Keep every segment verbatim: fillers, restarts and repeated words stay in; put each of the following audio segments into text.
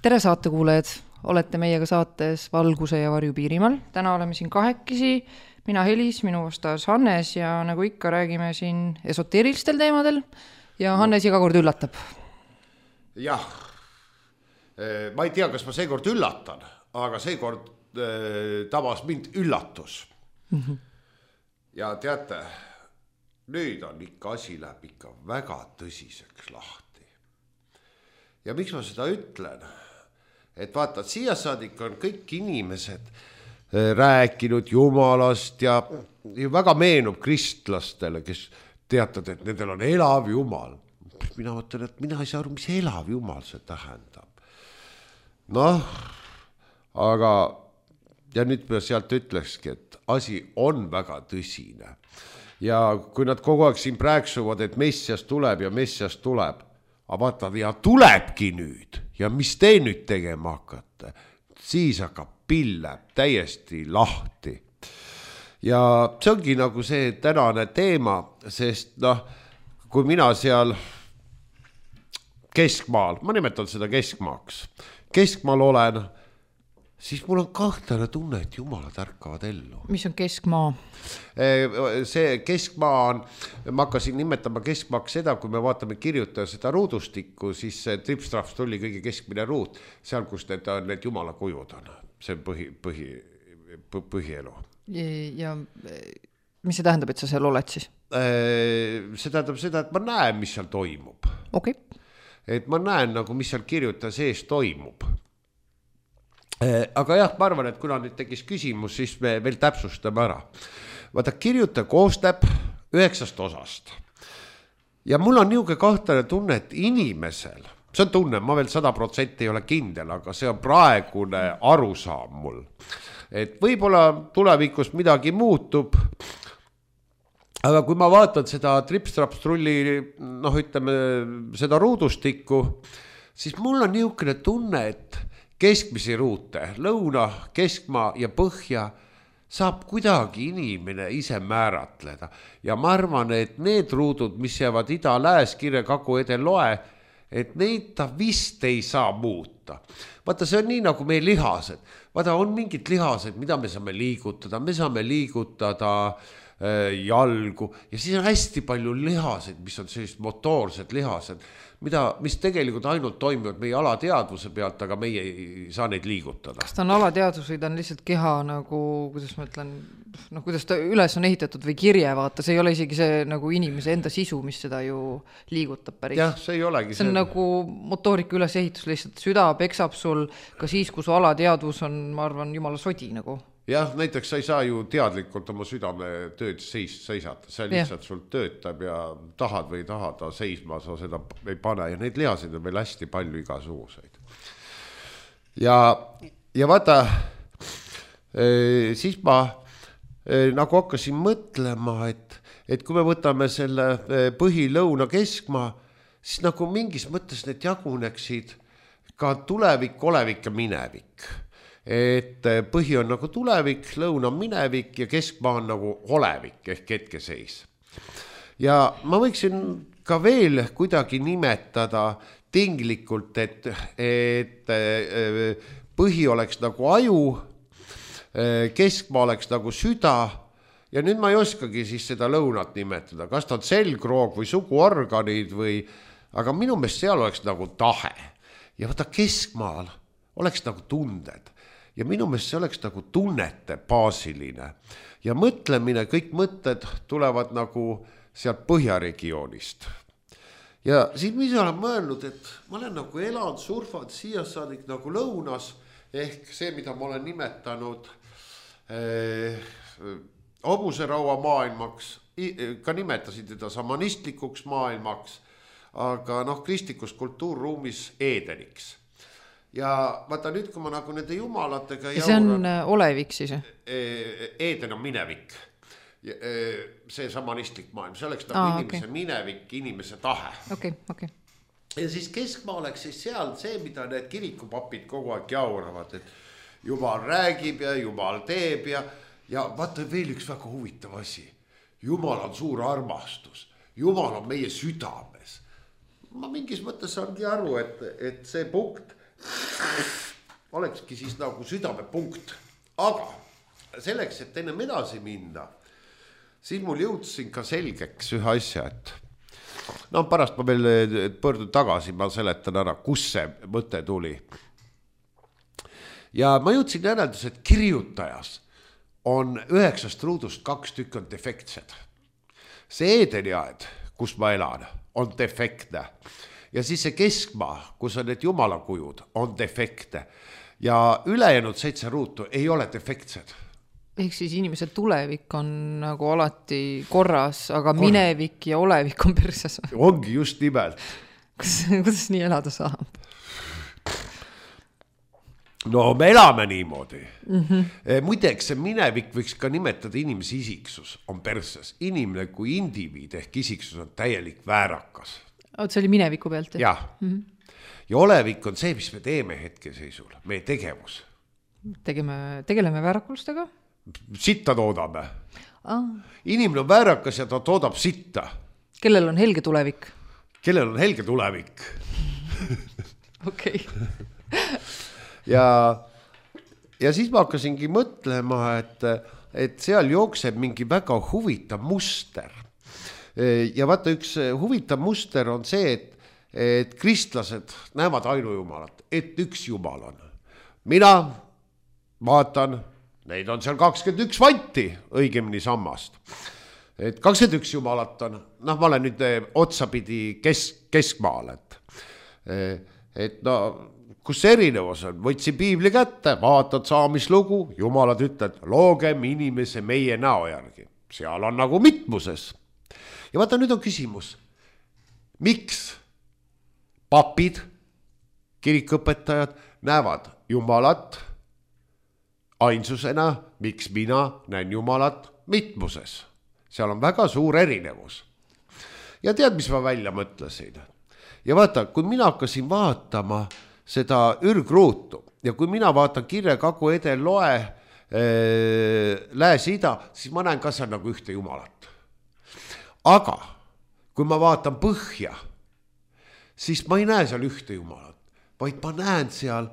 tere saatekuulajad, olete meiega saates Valguse ja varju Piirimaal. Täna oleme siin kahekesi, mina Helis, minu vastas Hannes ja nagu ikka räägime siin esoteerilistel teemadel ja Hannes iga kord üllatab. Jah, ma ei tea, kas ma seekord üllatan, aga seekord tabas mind üllatus. Mm-hmm. Ja teate, nüüd on ikka asi läheb ikka väga tõsiseks lahti. Ja miks ma seda ütlen? Et vaata, siia saadik on kõik inimesed rääkinud Jumalast ja väga meenub kristlastele, kes teatavad, et nendel on elav Jumal. Mina mõtlen, et mina ei saa aru, mis elav Jumal see tähendab. Noh, aga ja nüüd ma sealt ütlekski, et asi on väga tõsine. Ja kui nad kogu aeg siin praeksuvad, et Messias tuleb ja Messias tuleb, aga vaata, ja tulebki nüüd ja mis te nüüd tegema hakkate, siis hakkab pille täiesti lahti. Ja see ongi nagu see tänane teema, sest noh, kui mina seal keskmaal, ma nimetan seda keskmaaks, keskmaal olen, siis mul on kahtlane tunne, et jumalad ärkavad ellu. Mis on keskmaa? See keskmaa on, ma hakkasin nimetama keskmaaks seda, kui me vaatame kirjutada seda ruudustikku, siis see tripstrahvs tuli kõige keskmine ruut, seal, kus need, need jumala kujud on. See on põhi, põhi, põhielu. Ja mis see tähendab, et sa seal oled siis? See tähendab seda, et ma näen, mis seal toimub. Okay. Et ma näen, nagu mis seal kirjutada sees toimub. Aga jah, ma arvan, et kuna nüüd tegis küsimus, siis me veel täpsustame ära. Vaata, kirjuta koostab üheksast osast. Ja mul on niuke kahtlane tunne, et inimesel, see on tunne, ma veel sada protsenti ei ole kindel, aga see on praegune arusaam mul. Et võib-olla tulevikus midagi muutub, aga kui ma vaatan seda tripstrapstrulli, noh ütleme, seda ruudustikku, siis mul on niukene tunne, et keskmisi ruute, lõuna, keskmaa ja põhja saab kuidagi inimene ise määratleda. Ja ma arvan, et need ruudud, mis jäävad ida, lääs, kirja, kagu, edel, loe, et neid ta vist ei saa muuta. Vaata, see on nii nagu meie lihased. Vaata, on mingid lihased, mida me saame liigutada. Me saame liigutada äh, jalgu ja siis on hästi palju lihased, mis on sellised motoorsed lihased, mida, mis tegelikult ainult toimivad meie alateadvuse pealt, aga meie ei saa neid liigutada. Kas ta on alateadvus või ta on lihtsalt keha nagu, kuidas ma ütlen, noh, kuidas ta üles on ehitatud või kirje vaata, see ei ole isegi see nagu inimese enda sisu, mis seda ju liigutab päris. Jah, see ei olegi. See on see... nagu motoorika ülesehitus, lihtsalt süda peksab sul ka siis, kui su alateadvus on, ma arvan, jumala sodi nagu. Jah, näiteks sa ei saa ju teadlikult oma südame tööd seis, seisata, see lihtsalt sul töötab ja tahad või tahada seisma, sa seda ei pane ja neid lihasid on veel hästi palju igasuguseid. Ja, ja vaata, siis ma nagu hakkasin mõtlema, et, et kui me võtame selle põhi, lõuna, keskmaa, siis nagu mingis mõttes need jaguneksid ka tulevik, olevik ja minevik. Et põhi on nagu tulevik, lõuna on minevik ja keskmaa on nagu olevik ehk hetkeseis. Ja ma võiksin ka veel kuidagi nimetada tinglikult, et, et põhi oleks nagu aju, keskmaa oleks nagu süda ja nüüd ma ei oskagi siis seda lõunat nimetada, kas ta on selgroog või suguorganid või, aga minu meelest seal oleks nagu tahe ja võta keskmaal oleks nagu tunded. Ja minu meelest see oleks nagu tunnete baasiline ja mõtlemine, kõik mõtted tulevad nagu sealt põhjaregioonist. Ja siis mis olen mõelnud, et ma olen nagu elanud, surfad siia saadik nagu lõunas ehk see, mida ma olen nimetanud eh, hobuseraua maailmaks, ka nimetasin teda samanistlikuks maailmaks, aga noh, kristlikus kultuurruumis Eedeniks. Ja vaata nüüd, kui ma nagu nende jumalatega ja see on jauran, olevik siis? Eeden on minevik. See samanistlik maailm. See oleks nagu Aa, inimese okay. minevik, inimese tahe. Okay, okay. Ja siis keskmaa oleks siis seal see, mida need kirikupapid kogu aeg jauravad, et Jumal räägib ja Jumal teeb ja, ja vaata veel üks väga huvitav asi. Jumal on suur armastus. Jumal on meie südames. Ma mingis mõttes saangi aru, et, et see punkt olekski siis nagu südamepunkt. Aga selleks, et ennem edasi minna, siis mul jõudsin ka selgeks ühe asja, et no pärast ma veel pöördun tagasi, ma seletan ära, kus see mõte tuli. Ja ma jõudsin järeldus, et kirjutajas on üheksast ruudust kaks tükk on defektsed. See Eedeniaed, kus ma elan, on defektne. Ja siis see keskmaa, kus on need jumalakujud, on defektne. Ja ülejäänud seitse ruutu ei ole defektsed. Ehk siis inimese tulevik on nagu alati korras, aga Korra. minevik ja olevik on perses. Ongi just nimelt. Kuidas, kuidas nii elada saab? No me elame niimoodi. Mm-hmm. Muideks see minevik võiks ka nimetada inimese isiksus on perses. Inimene kui indiviid ehk isiksus on täielik väärakas. Oot, see oli mineviku pealt? Jah. Mm-hmm. Ja olevik on see, mis me teeme hetkeseisul, meie tegevus. Tegeme, tegeleme väärakulustega? Sitta toodame. Ah. Inimene on väärakas ja ta toodab sitta. Kellel on helge tulevik? Kellel on helge tulevik? Okei. Ja, ja siis ma hakkasingi mõtlema, et, et seal jookseb mingi väga huvitav muster. Ja vaata, üks huvitav muster on see, et, et kristlased näevad ainujumalat, et üks jumal on. Mina vaatan, neid on seal kakskümmend üks vanti, õigemini sammast. Et kakskümmend üks jumalat on, noh, ma olen nüüd otsapidi kesk, keskmaal, et, et no... kus erinevus on, võtsi piibli kätte, vaatad saamislugu, jumalad ütled, loogem inimese meie näo järgi. Seal on nagu mitmuses. Ja vaata, nüüd on küsimus, miks papid, kirikõpetajad näevad jumalat ainsusena, miks mina näen jumalat mitmuses? Seal on väga suur erinevus. Ja tead, mis ma välja mõtlesin? Ja vaata, kui mina hakkasin vaatama seda ürgruutu ja kui mina vaatan kirja kagu edel loe äh, lääs-ida, siis ma näen ka seal nagu ühte jumalat. Aga kui ma vaatan põhja, siis ma ei näe seal ühte jumalat, vaid ma näen seal,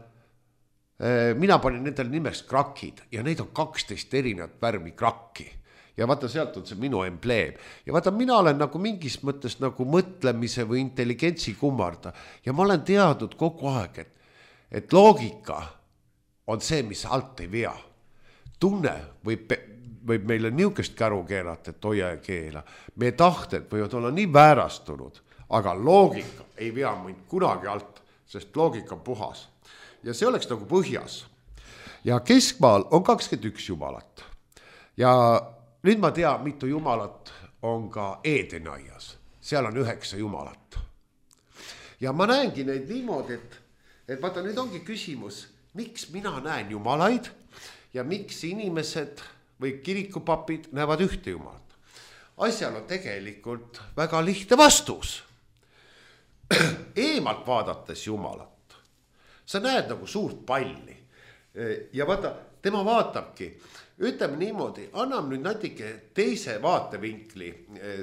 äh, mina panin nendel nimeks krakid ja neid on kaksteist erinevat värvi krakki. Ja vaata, sealt on see minu embleem. Ja vaata, mina olen nagu mingis mõttes nagu mõtlemise või intelligentsi kummarda. Ja ma olen teadnud kogu aeg, et, et loogika on see, mis alt ei vea. Tunne võib, võib meile niukest käru keerata, et hoia ja keela. Meie tahted võivad olla nii väärastunud, aga loogika ei vea mind kunagi alt, sest loogika on puhas. Ja see oleks nagu põhjas. Ja keskmaal on kakskümmend üks jumalat. Ja nüüd ma tean, mitu jumalat on ka Eedeniaias. Seal on üheksa jumalat. Ja ma näengi neid niimoodi, et, et vaata, nüüd ongi küsimus, miks mina näen jumalaid ja miks inimesed või kirikupapid näevad ühte jumalat. Asjal on tegelikult väga lihtne vastus. Eemalt vaadates jumalat, sa näed nagu suurt palli. Ja vaata, tema vaatabki, ütleme niimoodi, anname nüüd natuke teise vaatevinkli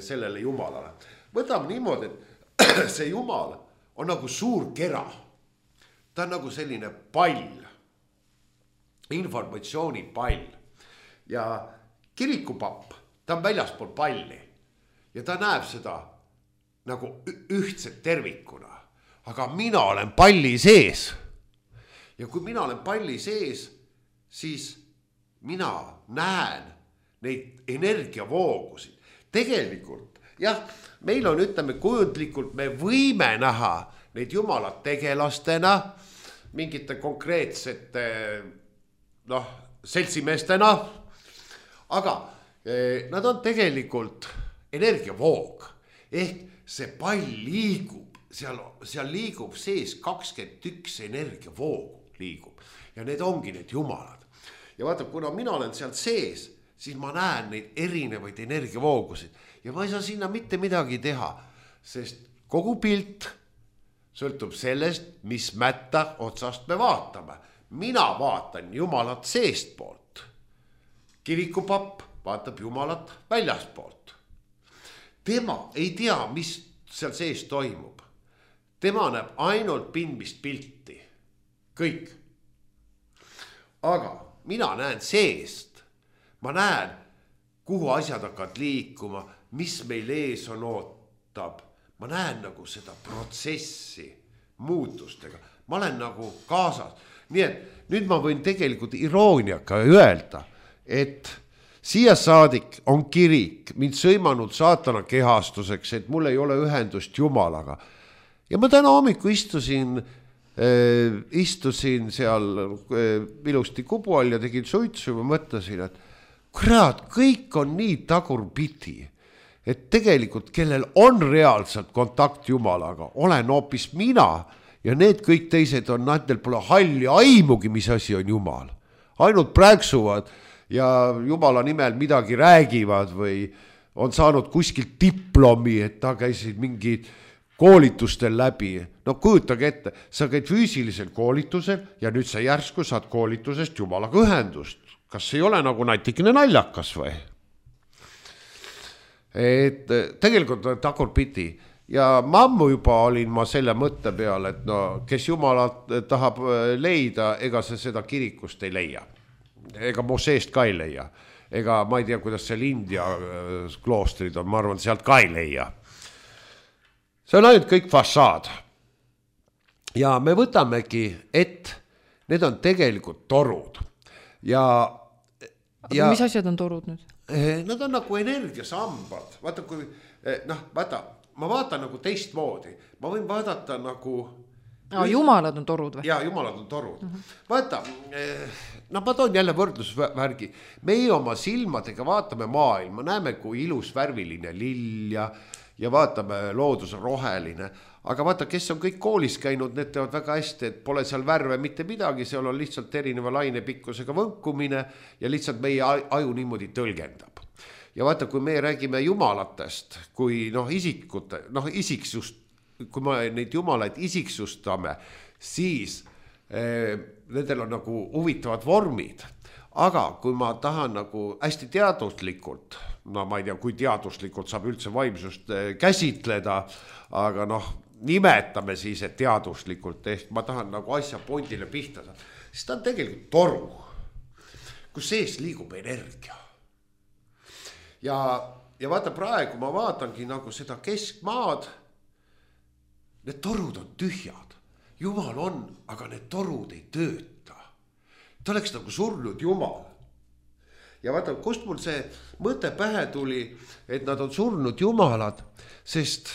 sellele jumalale. Võtame niimoodi, et see jumal on nagu suur kera. Ta on nagu selline pall, informatsiooni pall. Ja kirikupapp, ta on väljaspool palli ja ta näeb seda nagu ühtset tervikuna. Aga mina olen palli sees. Ja kui mina olen palli sees, siis mina näen neid energiavoogusid. Tegelikult, jah, meil on, ütleme, kujundlikult me võime näha neid jumalat tegelastena, mingite konkreetsete, noh, seltsimeestena, aga eh, nad on tegelikult energiavoog. Ehk see pall liigub, seal, seal liigub sees kakskümmend üks energiavoogu liigub ja need ongi need jumalad. Ja vaata, kuna mina olen sealt sees, siis ma näen neid erinevaid energiavoogusid. Ja ma ei saa sinna mitte midagi teha, sest kogu pilt sõltub sellest, mis mätta otsast me vaatame. Mina vaatan jumalat seest poolt. Kirikupapp vaatab jumalat väljaspoolt. Tema ei tea, mis seal sees toimub. Tema näeb ainult pindmist pilti. kõik. aga mina näen seest, ma näen, kuhu asjad hakkavad liikuma, mis meil ees on ootab. ma näen nagu seda protsessi muutustega, ma olen nagu kaasas. nii et nüüd ma võin tegelikult irooniaga öelda, et siia saadik on kirik mind sõimanud saatana kehastuseks, et mul ei ole ühendust Jumalaga. ja ma täna hommiku istusin äh, istusin seal äh, ilusti kubu all ja tegin suitsu ja ma mõtlesin, et kurat, kõik on nii tagurpidi, et tegelikult kellel on reaalselt kontakt Jumalaga, olen hoopis mina ja need kõik teised on, nendel pole halli aimugi, mis asi on Jumal. Ainult prääksuvad ja Jumala nimel midagi räägivad või on saanud kuskilt diplomi, et ta käisid mingid koolitustel läbi. No kujutage ette, sa käid füüsilisel koolitusel ja nüüd sa järsku saad koolitusest Jumalaga ühendust. Kas ei ole nagu natikene naljakas või? Et tegelikult on tagurpidi ja ma ammu juba olin ma selle mõtte peal, et no kes Jumalat tahab leida, ega see seda kirikust ei leia. Ega Moseest ka ei leia. Ega ma ei tea, kuidas seal India kloostrid on, ma arvan, sealt ka ei leia. See on ainult kõik fassaad. Ja me võtamegi, et need on tegelikult torud. Ja, ja mis asjad on torud nüüd? Nad on nagu energiasambad. Vaata, kui, noh, vaata, ma vaatan nagu teistmoodi. Ma võin vaadata nagu... No, jumalad on torud või? Jaa, jumalad on torud. Mm -hmm. Vaata, no ma toon jälle võrdlusvärgi. Meie oma silmadega vaatame maailma, näeme, kui ilus värviline lill ja, ja vaatame, loodus on roheline. Aga vaata, kes on kõik koolis käinud, need teevad väga hästi, et pole seal värve mitte midagi, seal on lihtsalt erineva lainepikkusega võnkumine ja lihtsalt meie aju niimoodi tõlgendab. Ja vaata, kui me räägime jumalatest, kui noh, isikute, noh, isiksust, kui me neid jumalaid isiksustame, siis eh, nendel on nagu huvitavad vormid. Aga kui ma tahan nagu hästi teaduslikult, no ma ei tea, kui teaduslikult saab üldse vaimsust eh, käsitleda, aga noh, nimetame siis, et teaduslikult, ehk ma tahan nagu asja pondile pihta saada, siis ta on tegelikult toru, kus sees liigub energia. Ja, ja vaata praegu ma vaatangi nagu seda keskmaad, need torud on tühjad, Jumal on, aga need torud ei tööta. Ta oleks nagu surnud Jumal. Ja vaata, kust mul see mõte pähe tuli, et nad on surnud Jumalad, sest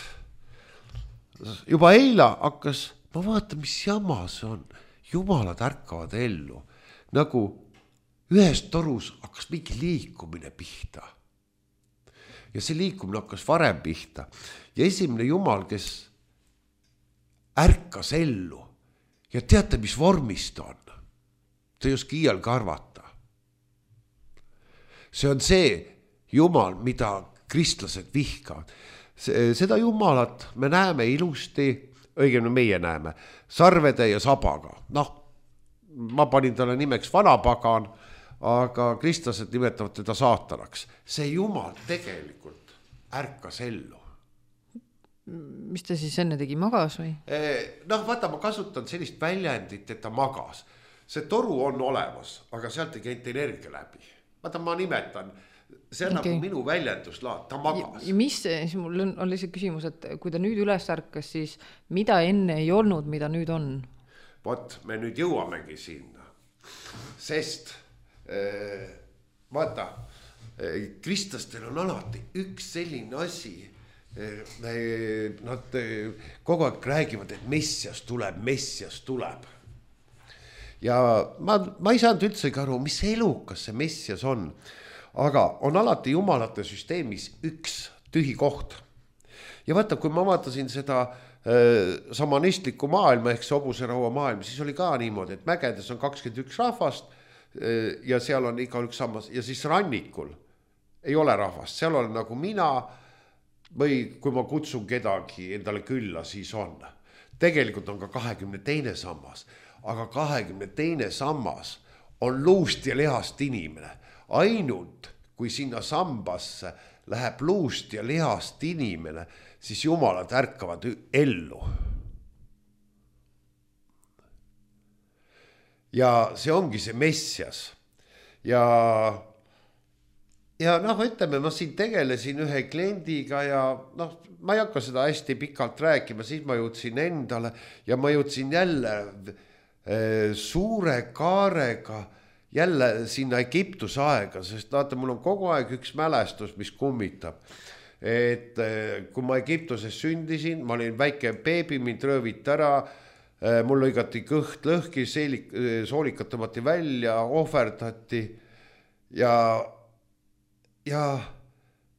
juba eile hakkas, ma vaatan, mis jama see on. Jumalad ärkavad ellu. Nagu ühes torus hakkas mingi liikumine pihta. Ja see liikumine hakkas varem pihta. Ja esimene Jumal, kes ärkas ellu. Ja teate, mis vormist on? Ta ei oska iial karvata. See on see Jumal, mida kristlased vihkavad. Seda Jumalat me näeme ilusti, õigemini meie näeme, sarvede ja sabaga. Noh, ma panin talle nimeks vanapagan, aga kristlased nimetavad teda saatanaks. See Jumal tegelikult ärkas ellu. Mis ta siis enne tegi, magas või? Noh, vaata, ma kasutan sellist väljendit, et ta magas. See toru on olemas, aga sealt ei käinud energia läbi. Vaata, ma nimetan... See on okay. Nagu minu väljenduslaad, ta magas. Ja mis see, siis mul on, on lihtsalt küsimus, et kui ta nüüd üles ärkas, siis mida enne ei olnud, mida nüüd on? Vot, me nüüd jõuamegi sinna. Sest, äh, vaata, äh, kristlastel on alati üks selline asi. Äh, nad äh, kogu aeg räägivad, et messias tuleb, messias tuleb. Ja ma, ma ei saanud üldse aru, mis elukas see messias on. Aga on alati jumalate süsteemis üks tühi koht. Ja vaata, kui ma vaatasin seda äh, samanistlikku maailma ehk hobuseraua maailma, siis oli ka niimoodi, et mägedes on kakskümmend üks rahvast äh, ja seal on iga üks sammas ja siis rannikul ei ole rahvast, seal on nagu mina või kui ma kutsun kedagi endale külla, siis on. Tegelikult on ka kahekümne teine sammas, aga kahekümne teine sammas on luust ja lihast inimene. Ainult kui sinna sambasse läheb luust ja lihast inimene, siis jumalad ärkavad ellu. ja see ongi see Messias ja ja noh, ütleme, ma siin tegelesin ühe kliendiga ja noh, ma ei hakka seda hästi pikalt rääkima, siis ma jõudsin endale ja ma jõudsin jälle e, suure kaarega jälle sinna Egiptuse aega, sest vaata, mul on kogu aeg üks mälestus, mis kummitab. Et e, kui ma Egiptuses sündisin, ma olin väike beebi, mind rööviti ära, e, mul lõigati kõht lõhki, seelik, soolikat tõmmati välja, ohverdati ja ja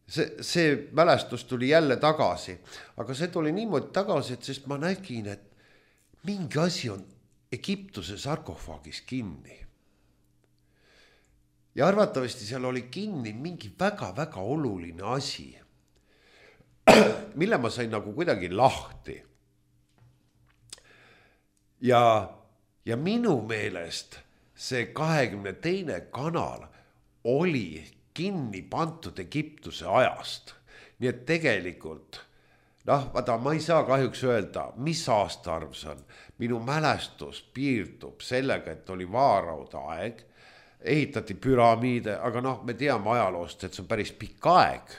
see, see mälestus tuli jälle tagasi, aga see tuli niimoodi tagasi, et sest ma nägin, et mingi asi on Egiptuse sarkofaagis kinni. Ja arvatavasti seal oli kinni mingi väga-väga oluline asi, mille ma sain nagu kuidagi lahti. Ja, ja minu meelest see kahekümne teine kanal oli kinni pantud Egiptuse ajast. Nii et tegelikult, noh, vaata, ma ei saa kahjuks öelda, mis aastaarv see on. Minu mälestus piirdub sellega, et oli vaarauda aeg, ehitati püramiide, aga noh, me teame ajaloost, et see on päris pikk aeg,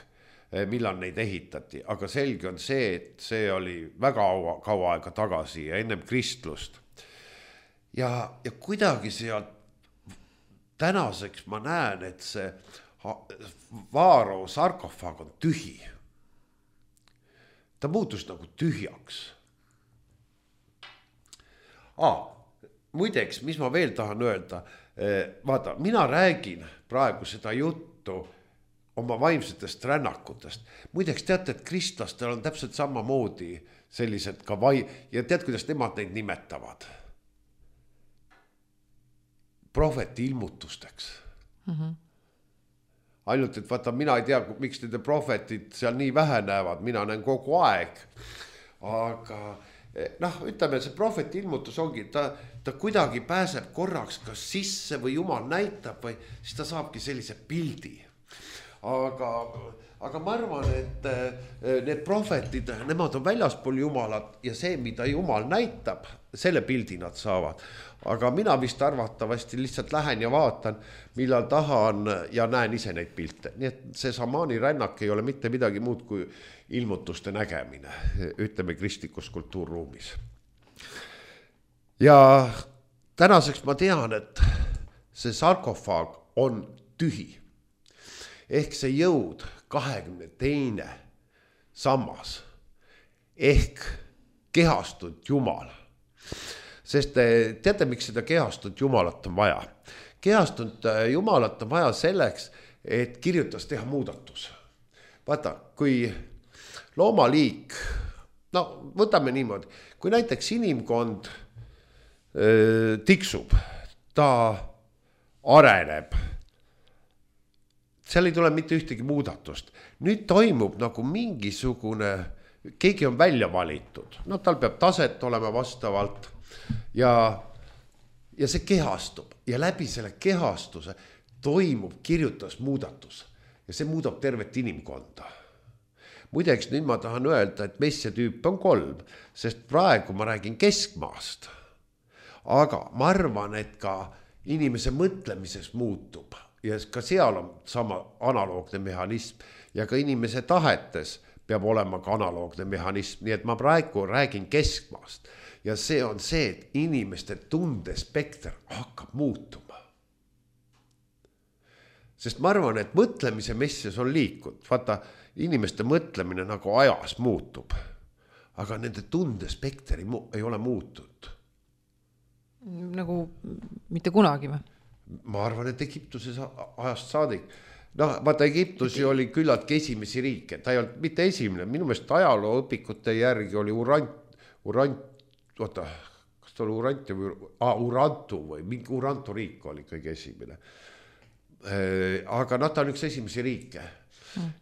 millal neid ehitati, aga selge on see, et see oli väga kaua aega tagasi ja ennem kristlust. Ja, ja kuidagi sealt tänaseks ma näen, et see Vaaro sarkofaag on tühi. Ta muutus nagu tühjaks. Ah, muideks, mis ma veel tahan öelda, vaata, mina räägin praegu seda juttu oma vaimsetest rännakutest. Muideks teate, et kristlastel on täpselt samamoodi sellised ka vai... ja tead, kuidas nemad neid nimetavad? Prohveti ilmutusteks. Mhm. Ainult, et vaata, mina ei tea, miks nende prohvetid seal nii vähe näevad, mina näen kogu aeg. Aga noh, ütleme, see prohveti ilmutus ongi, ta, ta kuidagi pääseb korraks kas sisse või Jumal näitab või siis ta saabki sellise pildi. Aga, aga ma arvan, et need prohvetid, nemad on väljaspool Jumalat ja see, mida Jumal näitab, selle pildi nad saavad. Aga mina vist arvatavasti lihtsalt lähen ja vaatan, millal tahan ja näen ise neid pilte. Nii et see šamaani rännak ei ole mitte midagi muud kui ilmutuste nägemine, ütleme kristlikus kultuurruumis. Ja tänaseks ma tean, et see sarkofaag on tühi. Ehk see jõud kahekümne teine sammas ehk kehastunud Jumal. Sest teate, miks seda kehastunud Jumalat on vaja? Kehastunud Jumalat on vaja selleks, et kirjutas teha muudatus. Vaata, kui loomaliik, no võtame niimoodi, kui näiteks inimkond öö, tiksub, ta areneb, seal ei tule mitte ühtegi muudatust. Nüüd toimub nagu mingisugune, keegi on välja valitud, no tal peab taset olema vastavalt ja, ja see kehastub ja läbi selle kehastuse toimub kirjutas muudatus ja see muudab tervet inimkonda. Muideks nüüd ma tahan öelda, et messia tüüp on kolm, sest praegu ma räägin keskmaast, aga ma arvan, et ka inimese mõtlemises muutub ja ka seal on sama analoogne mehhanism ja ka inimese tahetes peab olema ka analoogne mehhanism, nii et ma praegu räägin keskmaast ja see on see, et inimeste tundespekter hakkab muutuma. Sest ma arvan, et mõtlemise messias on liikunud, vaata inimeste mõtlemine nagu ajas muutub, aga nende tundespekter ei, mu- ei ole muutunud. Nagu mitte kunagi või? Ma arvan, et Egiptuses ajast saadik. No, vaata, Egiptusi oli küllaltki esimesi riike, ta ei olnud mitte esimene, minu meelest ajaloo õpikute järgi oli Urant, Urant, oota, kas ta oli Urantu või, ah, Urantu või mingi Urantu riik oli kõige esimene. Aga noh, ta on üks esimesi riike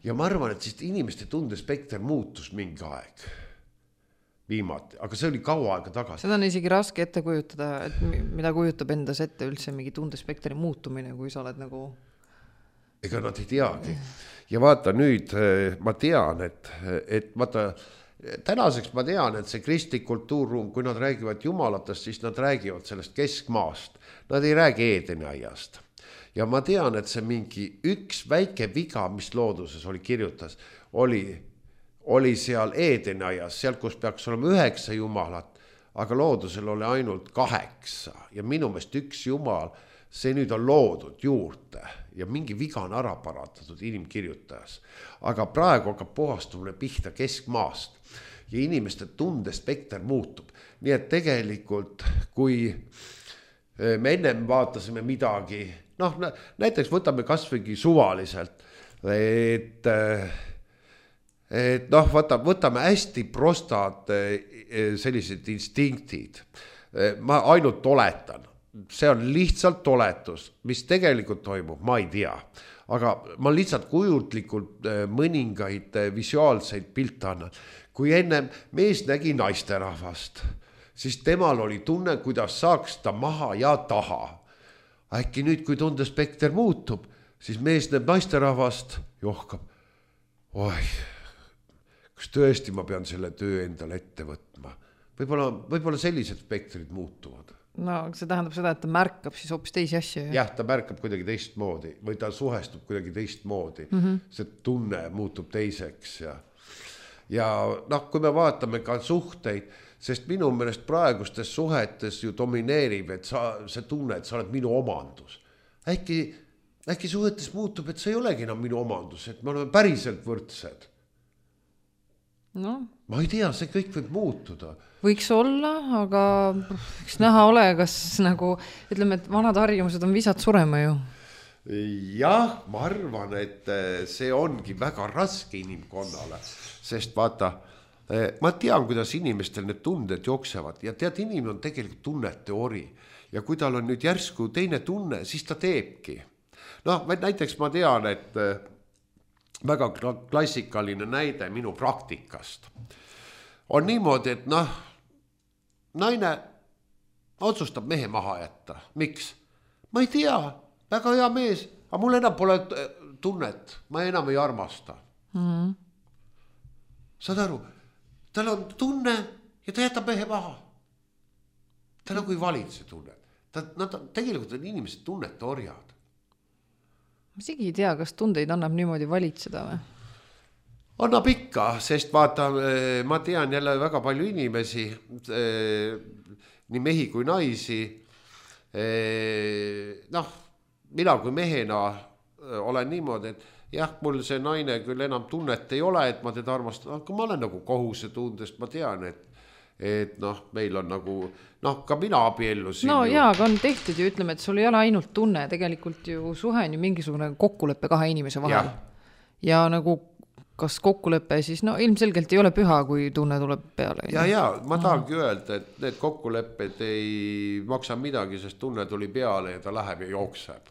ja ma arvan, et siis inimeste tundespekter muutus mingi aeg viimati, aga see oli kaua aega tagasi. Seda on isegi raske ette kujutada, et mida kujutab endas ette üldse mingi tundespektri muutumine, kui sa oled nagu... Ega nad ei teagi. Ja vaata nüüd, ma tean, et, et vaata, tänaseks ma tean, et see kristlik kultuurruum, kui nad räägivad jumalatest, siis nad räägivad sellest keskmaast. Nad ei räägi Eedeni aiast. Ja ma tean, et see mingi üks väike viga, mis looduses oli kirjutas, oli, oli seal Eedeni aias, seal, kus peaks olema üheksa jumalat, aga loodusel oli ainult kaheksa. Ja minu meelest üks jumal, see nüüd on loodud juurde ja mingi viga on ära parandatud inimkirjutajas. Aga praegu hakkab puhastumine pihta keskmaast ja inimeste tundespekter muutub. Nii et tegelikult, kui me ennem vaatasime midagi, noh, näiteks võtame kasvõigi suvaliselt, et, et noh, võtame, võtame hästi prostad sellised instinktid. Ma ainult oletan. See on lihtsalt oletus, mis tegelikult toimub, ma ei tea. Aga ma lihtsalt kujutlikult mõningaid visuaalseid pilte annan. Kui enne mees nägi naisterahvast, siis temal oli tunne, kuidas saaks ta maha ja taha. Äkki nüüd, kui tundespekter muutub, siis mees näeb naisterahvast, johkab. Oi, kas tõesti ma pean selle töö endale ette võtma? Võib-olla, võib-olla sellised spektrid muutuvad. No see tähendab seda, et ta märkab siis hoopis teisi asju. Jah, ta märkab kuidagi teistmoodi või ta suhestub kuidagi teistmoodi. Mm-hmm. See tunne muutub teiseks. Ja, ja noh, kui me vaatame ka suhteid, sest minu meelest praegustes suhetes ju domineerib, et sa, see tunne, et sa oled minu omandus. Äkki, äkki suhetes muutub, et see ei olegi enam minu omandus, et me oleme päriselt võrdsed. No. Ma ei tea, see kõik võib muutuda. Võiks olla, aga eks näha ole, kas nagu, ütleme, et vanad harjumused on visad surema ju. Jah, ma arvan, et see ongi väga raske inimkonnale, sest vaata, ma tean, kuidas inimestel need tunded jooksevad ja tead, inimene on tegelikult tunnete ori ja kui tal on nüüd järsku teine tunne, siis ta teebki. Noh, näiteks ma tean, et väga klassikaline näide minu praktikast on niimoodi, et noh, naine otsustab mehe maha jätta. Miks? Ma ei tea, väga hea mees, aga mul enam pole tunnet, ma enam ei armasta. Mm-hmm. Saad aru, tal on tunne ja ta jätab mehe maha. Ta nagu ei valid see tunne. Ta, nad, tegelikult on inimesed tunnete orjad. Ma isegi ei tea, kas tundeid annab niimoodi valitseda või? Annab ikka, sest vaata, ma tean jälle väga palju inimesi, nii mehi kui naisi. Noh, mina kui mehena olen niimoodi, et jah, mul see naine küll enam tunnet ei ole, et ma teda armastan, aga ma olen nagu kohusetundest, ma tean, et, et noh, meil on nagu, noh, ka mina abiellusin. No ju. jaa, aga on tehtud ju, ütleme, et sul ei ole ainult tunne, tegelikult ju suhe on ju mingisugune kokkuleppe kahe inimese vahel. Ja, ja nagu kas kokkulepe, siis no ilmselgelt ei ole püha, kui tunne tuleb peale. Ja, ja, ma tahangi öelda, et need kokkulepped ei maksa midagi, sest tunne tuli peale ja ta läheb ja jookseb.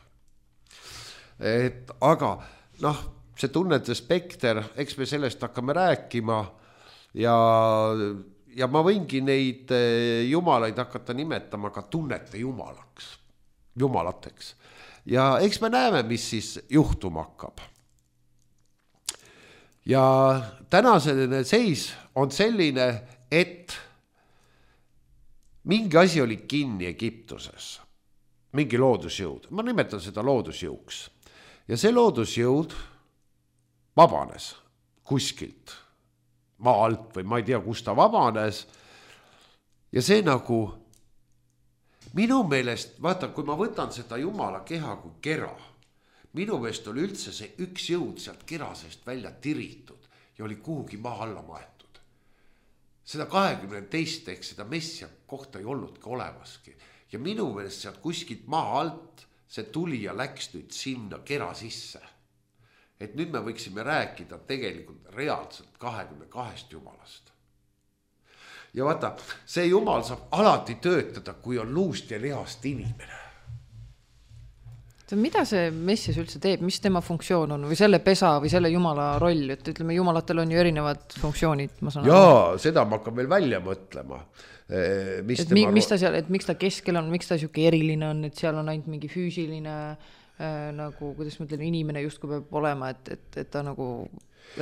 Et, aga noh, see tunnete spekter, eks me sellest hakkame rääkima ja, ja ma võingi neid jumalaid hakata nimetama ka tunnete jumalaks, jumalateks. Ja eks me näeme, mis siis juhtuma hakkab. Ja tänasene seis on selline, et mingi asi oli kinni Egiptuses, mingi loodusjõud, ma nimetan seda loodusjõuks ja see loodusjõud vabanes kuskilt maa alt või ma ei tea, kus ta vabanes ja see nagu minu meelest, vaata, kui ma võtan seda jumala keha kui kera, minu meelest oli üldse see üks jõud sealt kerasest välja tiritud ja oli kuhugi maa alla maetud. Seda kahekümne teist ehk seda messia kohta ei olnud ka olemaski. Ja minu meelest sealt kuskilt maa alt see tuli ja läks nüüd sinna kera sisse. Et nüüd me võiksime rääkida tegelikult reaalselt kahekümne kahest jumalast. Ja vaata, see jumal saab alati töötada, kui on luust ja lihast inimene. Mida see messias üldse teeb, mis tema funktsioon on või selle pesa või selle jumala roll, et ütleme jumalatel on ju erinevad funktsioonid, ma saan Jaa, aru. Seda ma hakkan veel välja mõtlema. Mis, et, tema... mis ta seal, et miks ta keskel on, miks ta siuke eriline on, et seal on ainult mingi füüsiline äh, nagu, kuidas ma ütlen, inimene justkui peab olema, et, et, et ta nagu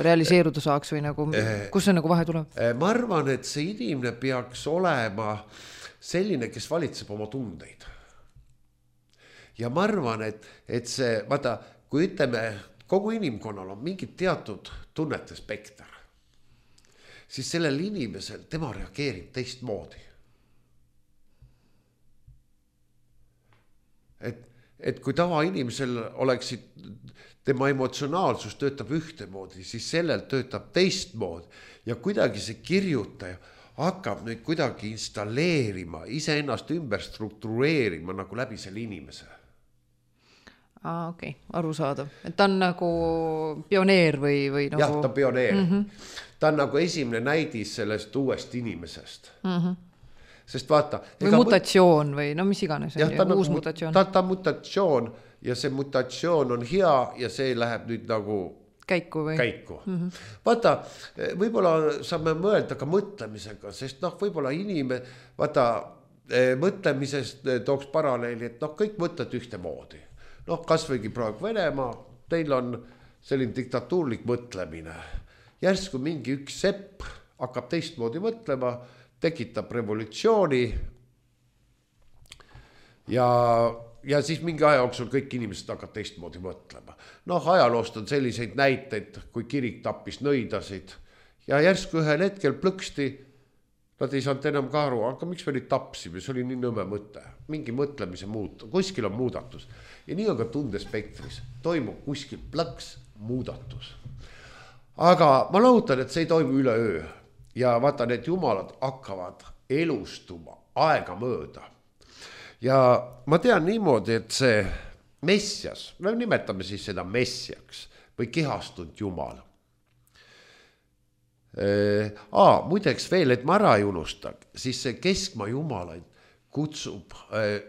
realiseeruda saaks või nagu, kus see nagu vahe tuleb? Ma arvan, et see inimene peaks olema selline, kes valitseb oma tundeid. Ja ma arvan, et, et see, vaata, kui ütleme, kogu inimkonnal on mingid teatud tunnete spekter, siis sellel inimesel, tema reageerib teistmoodi. Et, et kui tava inimesel oleksid, tema emotsionaalsus töötab ühtemoodi, siis sellel töötab teistmoodi ja kuidagi see kirjutaja hakkab nüüd kuidagi installeerima, iseennast ümber struktureerima nagu läbi selle inimese. Aa, okei, okay. Arusaadav. Et ta on nagu pioneer või, või nagu... Jah, ta on pioneer. Mm-hmm. Ta on nagu esimene näidis sellest uuest inimesest. Mm-hmm. Sest vaata... Või mutatsioon või no mis iganes. Jah, ta on uus nagu, mutatsioon. Ta, ta on mutatsioon ja see mutatsioon on hea ja see läheb nüüd nagu... Käiku või? Käiku. Mm-hmm. Vaata, võib-olla saame mõelda ka mõtlemisega, sest noh, võib-olla inimene, vaata, mõtlemisest tooks paralleeli, et noh, kõik mõtled ühte moodi. Noh, kas võigi praegu Venemaa, teil on selline diktatuurlik mõtlemine. Järsku mingi üks sepp hakkab teistmoodi mõtlema, tekitab revolutsiooni ja, ja siis mingi aja jooksul kõik inimesed hakkavad teistmoodi mõtlema. Noh, ajaloost on selliseid näiteid, kui kirik tappis nõidasid ja järsku ühel hetkel plõksti, nad ei saanud enam ka aru, aga miks me nüüd tapsime, see oli nii nõme mõte, mingi mõtlemise muut, kuskil on muudatus. Ja nii on ka tundespektris, toimub kuskil plõks muudatus. Aga ma loodan, et see ei toimu üle öö ja vaata, need jumalad hakkavad elustuma aega mööda. Ja ma tean niimoodi, et see messias, me nimetame siis seda messiaks või kehastunud jumal. Aa, muideks veel, et ma ära ei unustag, siis see keskmaa jumalaid kutsub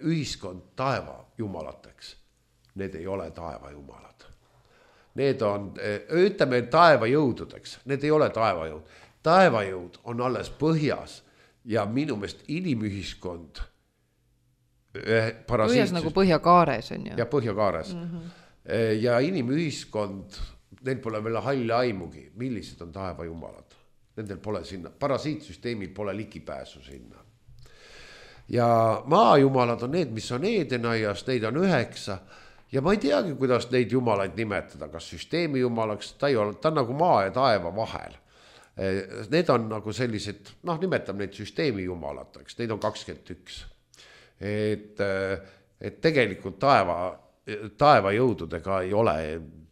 ühiskond taeva jumalateks. Need ei ole taeva jumalad. Need on, ütleme taeva jõududeks, need ei ole taeva jõud. Taeva jõud on alles põhjas ja minu meelest inimühiskond põhjas nagu põhjakaares on ju. Ja põhjakaares. Mm-hmm. Ja inimühiskond, neil pole veel halli aimugi, millised on taeva jumalad. Nendel pole sinna, parasiitsüsteemil pole ligipääsu sinna. Ja maajumalad on need, mis on Edenaias, neid on üheksa ja ma ei teagi, kuidas neid jumalaid nimetada, kas süsteemi jumalaks, ta, ei ole, ta on nagu maa ja taeva vahel. Need on nagu sellised, noh, nimetab neid süsteemi jumalateks, neid on kakskümmend üks. Et, et tegelikult taeva, taeva jõududega ei ole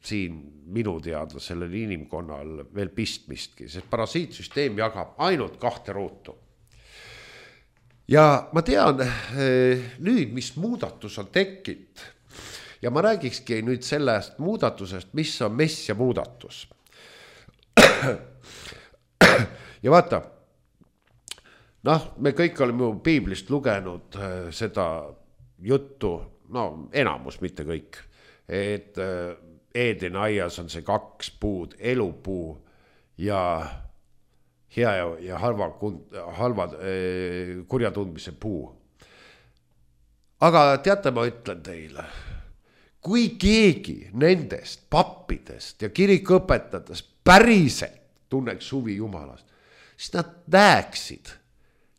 siin minu teada sellel inimkonnal veel pistmistki, sest parasiitsüsteem jagab ainult kahte ruutu. Ja ma tean nüüd, mis muudatus on tekkinud ja ma räägikski nüüd sellest muudatusest, mis on messia muudatus. Ja vaata, noh, me kõik oleme piiblist lugenud seda juttu, no enamus, mitte kõik, et Edenaias on see kaks puud, elupuu ja hea ja halva, halva kurja tundmise puu. Aga teate, ma ütlen teile, kui keegi nendest pappidest ja kirikuõpetajatest päriselt tunneks huvi jumalast, siis nad näeksid,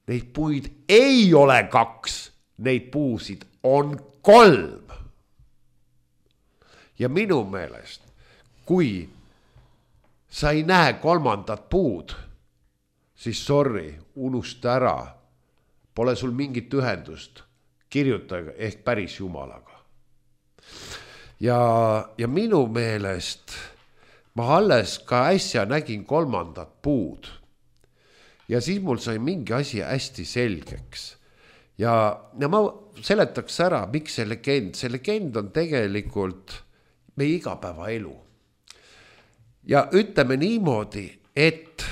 neid puid ei ole kaks, neid puusid on kolm. Ja minu meelest, kui sa ei näe kolmandat puud, siis sorry, unusta ära, pole sul mingit ühendust kirjutajaga ehk päris jumalaga. Ja, ja minu meelest ma alles ka äsja nägin kolmandat puud ja siis mul sai mingi asi hästi selgeks. Ja, ja ma seletaks ära, miks see legend, see legend on tegelikult meie igapäeva elu. Ja ütleme niimoodi, et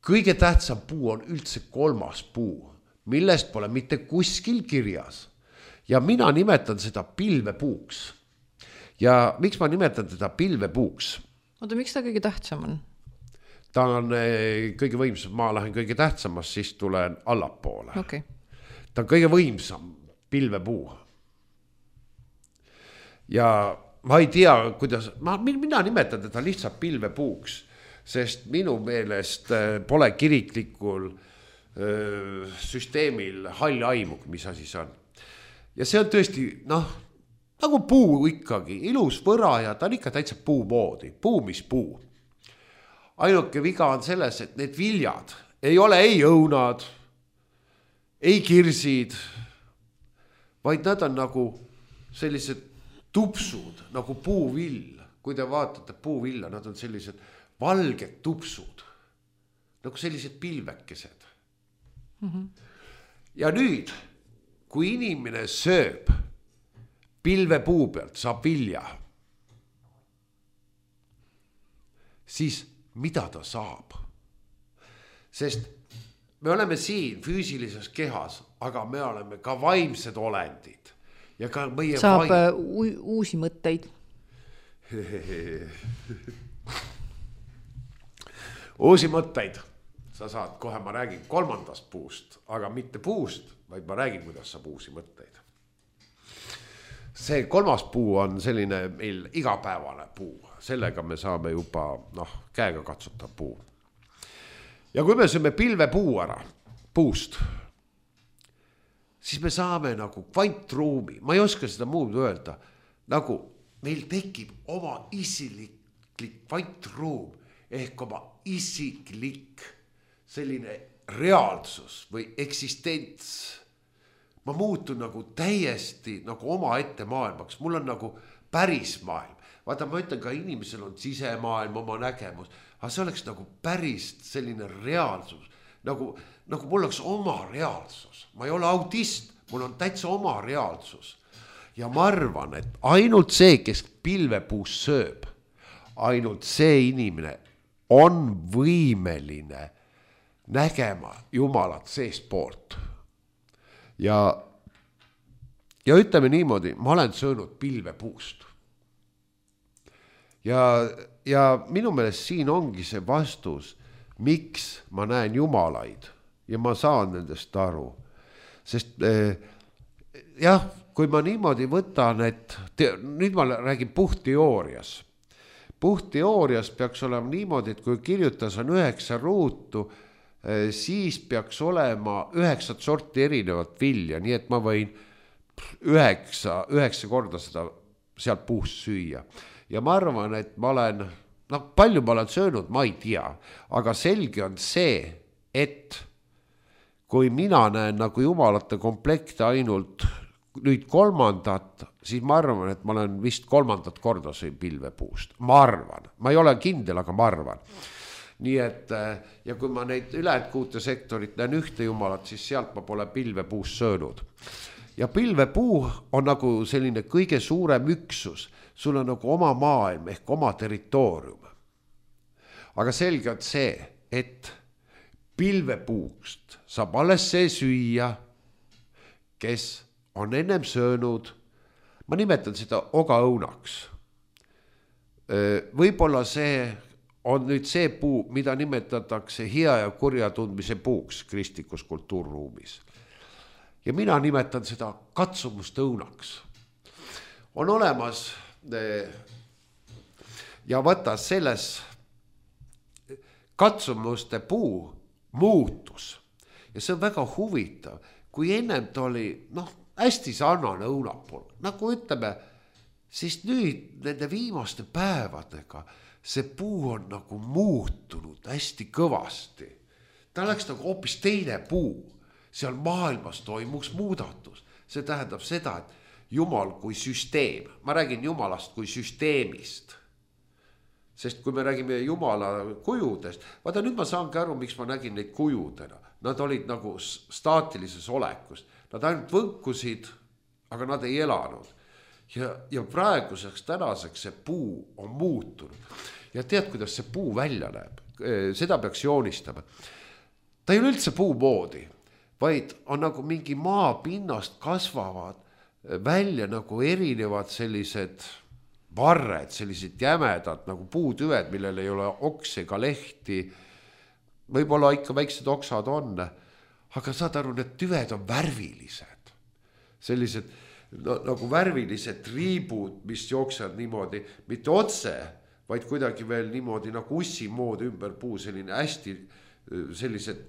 kõige tähtsam puu on üldse kolmas puu, millest pole mitte kuskil kirjas. Ja mina nimetan seda pilvepuuks. Ja miks ma nimetan teda pilvepuuks? Oota, miks ta kõige tähtsam on? Ta on kõige võimsam, ma lähen kõige tähtsamast, siis tulen allapoole. Okay. Ta on kõige võimsam pilvepuu. ja ma ei tea, kuidas, ma, mina nimetan teda lihtsalt pilvepuuks, sest minu meelest pole kiriklikul öö, süsteemil hall aimu, mis asi see on. Ja see on tõesti, noh, nagu puu ikkagi, ilus võra ja ta on ikka täitsa puu moodi, puu mis puu. Ainuke viga on selles, et need viljad ei ole ei õunad, ei kirsid, vaid nad on nagu sellised tupsud, nagu puuvill. Kui te vaatate puuvilla, nad on sellised valged tupsud, nagu sellised pilvekesed. Mm-hmm. Ja nüüd, kui inimene sööb pilvepuu pealt, saab vilja, siis mida ta saab? Sest me oleme siin füüsilises kehas, aga me oleme ka vaimsed olendid. Ja ka meie saab vaim... u- uusi mõtteid. Uusi mõtteid. Sa saad, kohe ma räägin kolmandast puust, aga mitte puust, vaid ma räägin, kuidas saab uusi mõtteid. See kolmas puu on selline meil igapäevane puu. Sellega me saame juba, noh, käega katsuta puu. Ja kui me sööme pilvepuu ära puust, siis me saame nagu kvantruumi, ma ei oska seda muud öelda, nagu meil tekib oma isiklik kvantruum ehk oma isiklik selline reaalsus või eksistents. Ma muutun nagu täiesti nagu oma ette maailmaks, mul on nagu päris maailm. Vaata, ma ütlen ka inimesel on sisemaailm, oma nägemus, aga see oleks nagu päris selline reaalsus, nagu, nagu mul oleks oma reaalsus. Ma ei ole autist, mul on täitsa oma reaalsus. Ja ma arvan, et ainult see, kes pilvepuus sööb, ainult see inimene on võimeline nägema Jumalat seest poolt. Ja, ja ütleme niimoodi, ma olen söönud pilvepuust. Ja, ja minu meelest siin ongi see vastus, miks ma näen jumalaid ja ma saan nendest aru. Sest eh, jah, kui ma niimoodi võtan, et te, nüüd ma räägin puhtteoorias. Puhtteoorias peaks olema niimoodi, et kui kirjutas on üheksa ruutu, eh, siis peaks olema üheksat sorti erinevat vilja, nii et ma võin üheksa, üheksa korda seda sealt puust süüa. Ja ma arvan, et ma olen, noh, palju ma olen söönud, ma ei tea, aga selge on see, et kui mina näen nagu jumalate komplekte ainult nüüd kolmandat, siis ma arvan, et ma olen vist kolmandat korda sõin pilvepuust. Ma arvan, ma ei ole kindel, aga ma arvan. Nii et, ja kui ma neid ülejäänud kuute sektorit näen ühte jumalat, siis sealt ma pole pilvepuust söönud. Ja pilvepuu on nagu selline kõige suurem üksus. Sul on nagu oma maailm ehk oma territoorium. Aga selge on see, et pilvepuust saab alles see süüa, kes on ennem söönud, ma nimetan seda ogaõunaks. Võib-olla see on nüüd see puu, mida nimetatakse hea ja kurja tundmise puuks kristlikus kultuurruumis. Ja mina nimetan seda katsumuste õunaks. On olemas ja võta selles katsumuste puu muutus. Ja see on väga huvitav, kui ennem ta oli, noh, hästi sarnane õunapool. Nagu ütleme, siis nüüd nende viimaste päevadega see puu on nagu muutunud hästi kõvasti. Ta oleks nagu hoopis teine puu. Seal maailmas toimuks muudatus. See tähendab seda, et Jumal kui süsteem, ma räägin Jumalast kui süsteemist, sest kui me räägime Jumala kujudest, vaata nüüd ma saangi aru, miks ma nägin neid kujudena, nad olid nagu staatilises olekus, nad ainult võnkusid, aga nad ei elanud ja, ja praeguseks tänaseks see puu on muutunud ja tead, kuidas see puu välja näeb, seda peaks joonistama, ta ei ole üldse puu moodi, vaid on nagu mingi maapinnast kasvavad välja nagu erinevad sellised varred, sellised jämedad nagu puutüved, millel ei ole oks ega lehti. Võib-olla ikka väiksed oksad on, aga saad aru, need tüved on värvilised. Sellised no, nagu värvilised triibud, mis jooksevad niimoodi, mitte otse, vaid kuidagi veel niimoodi nagu ussi mood ümber puu, selline hästi sellised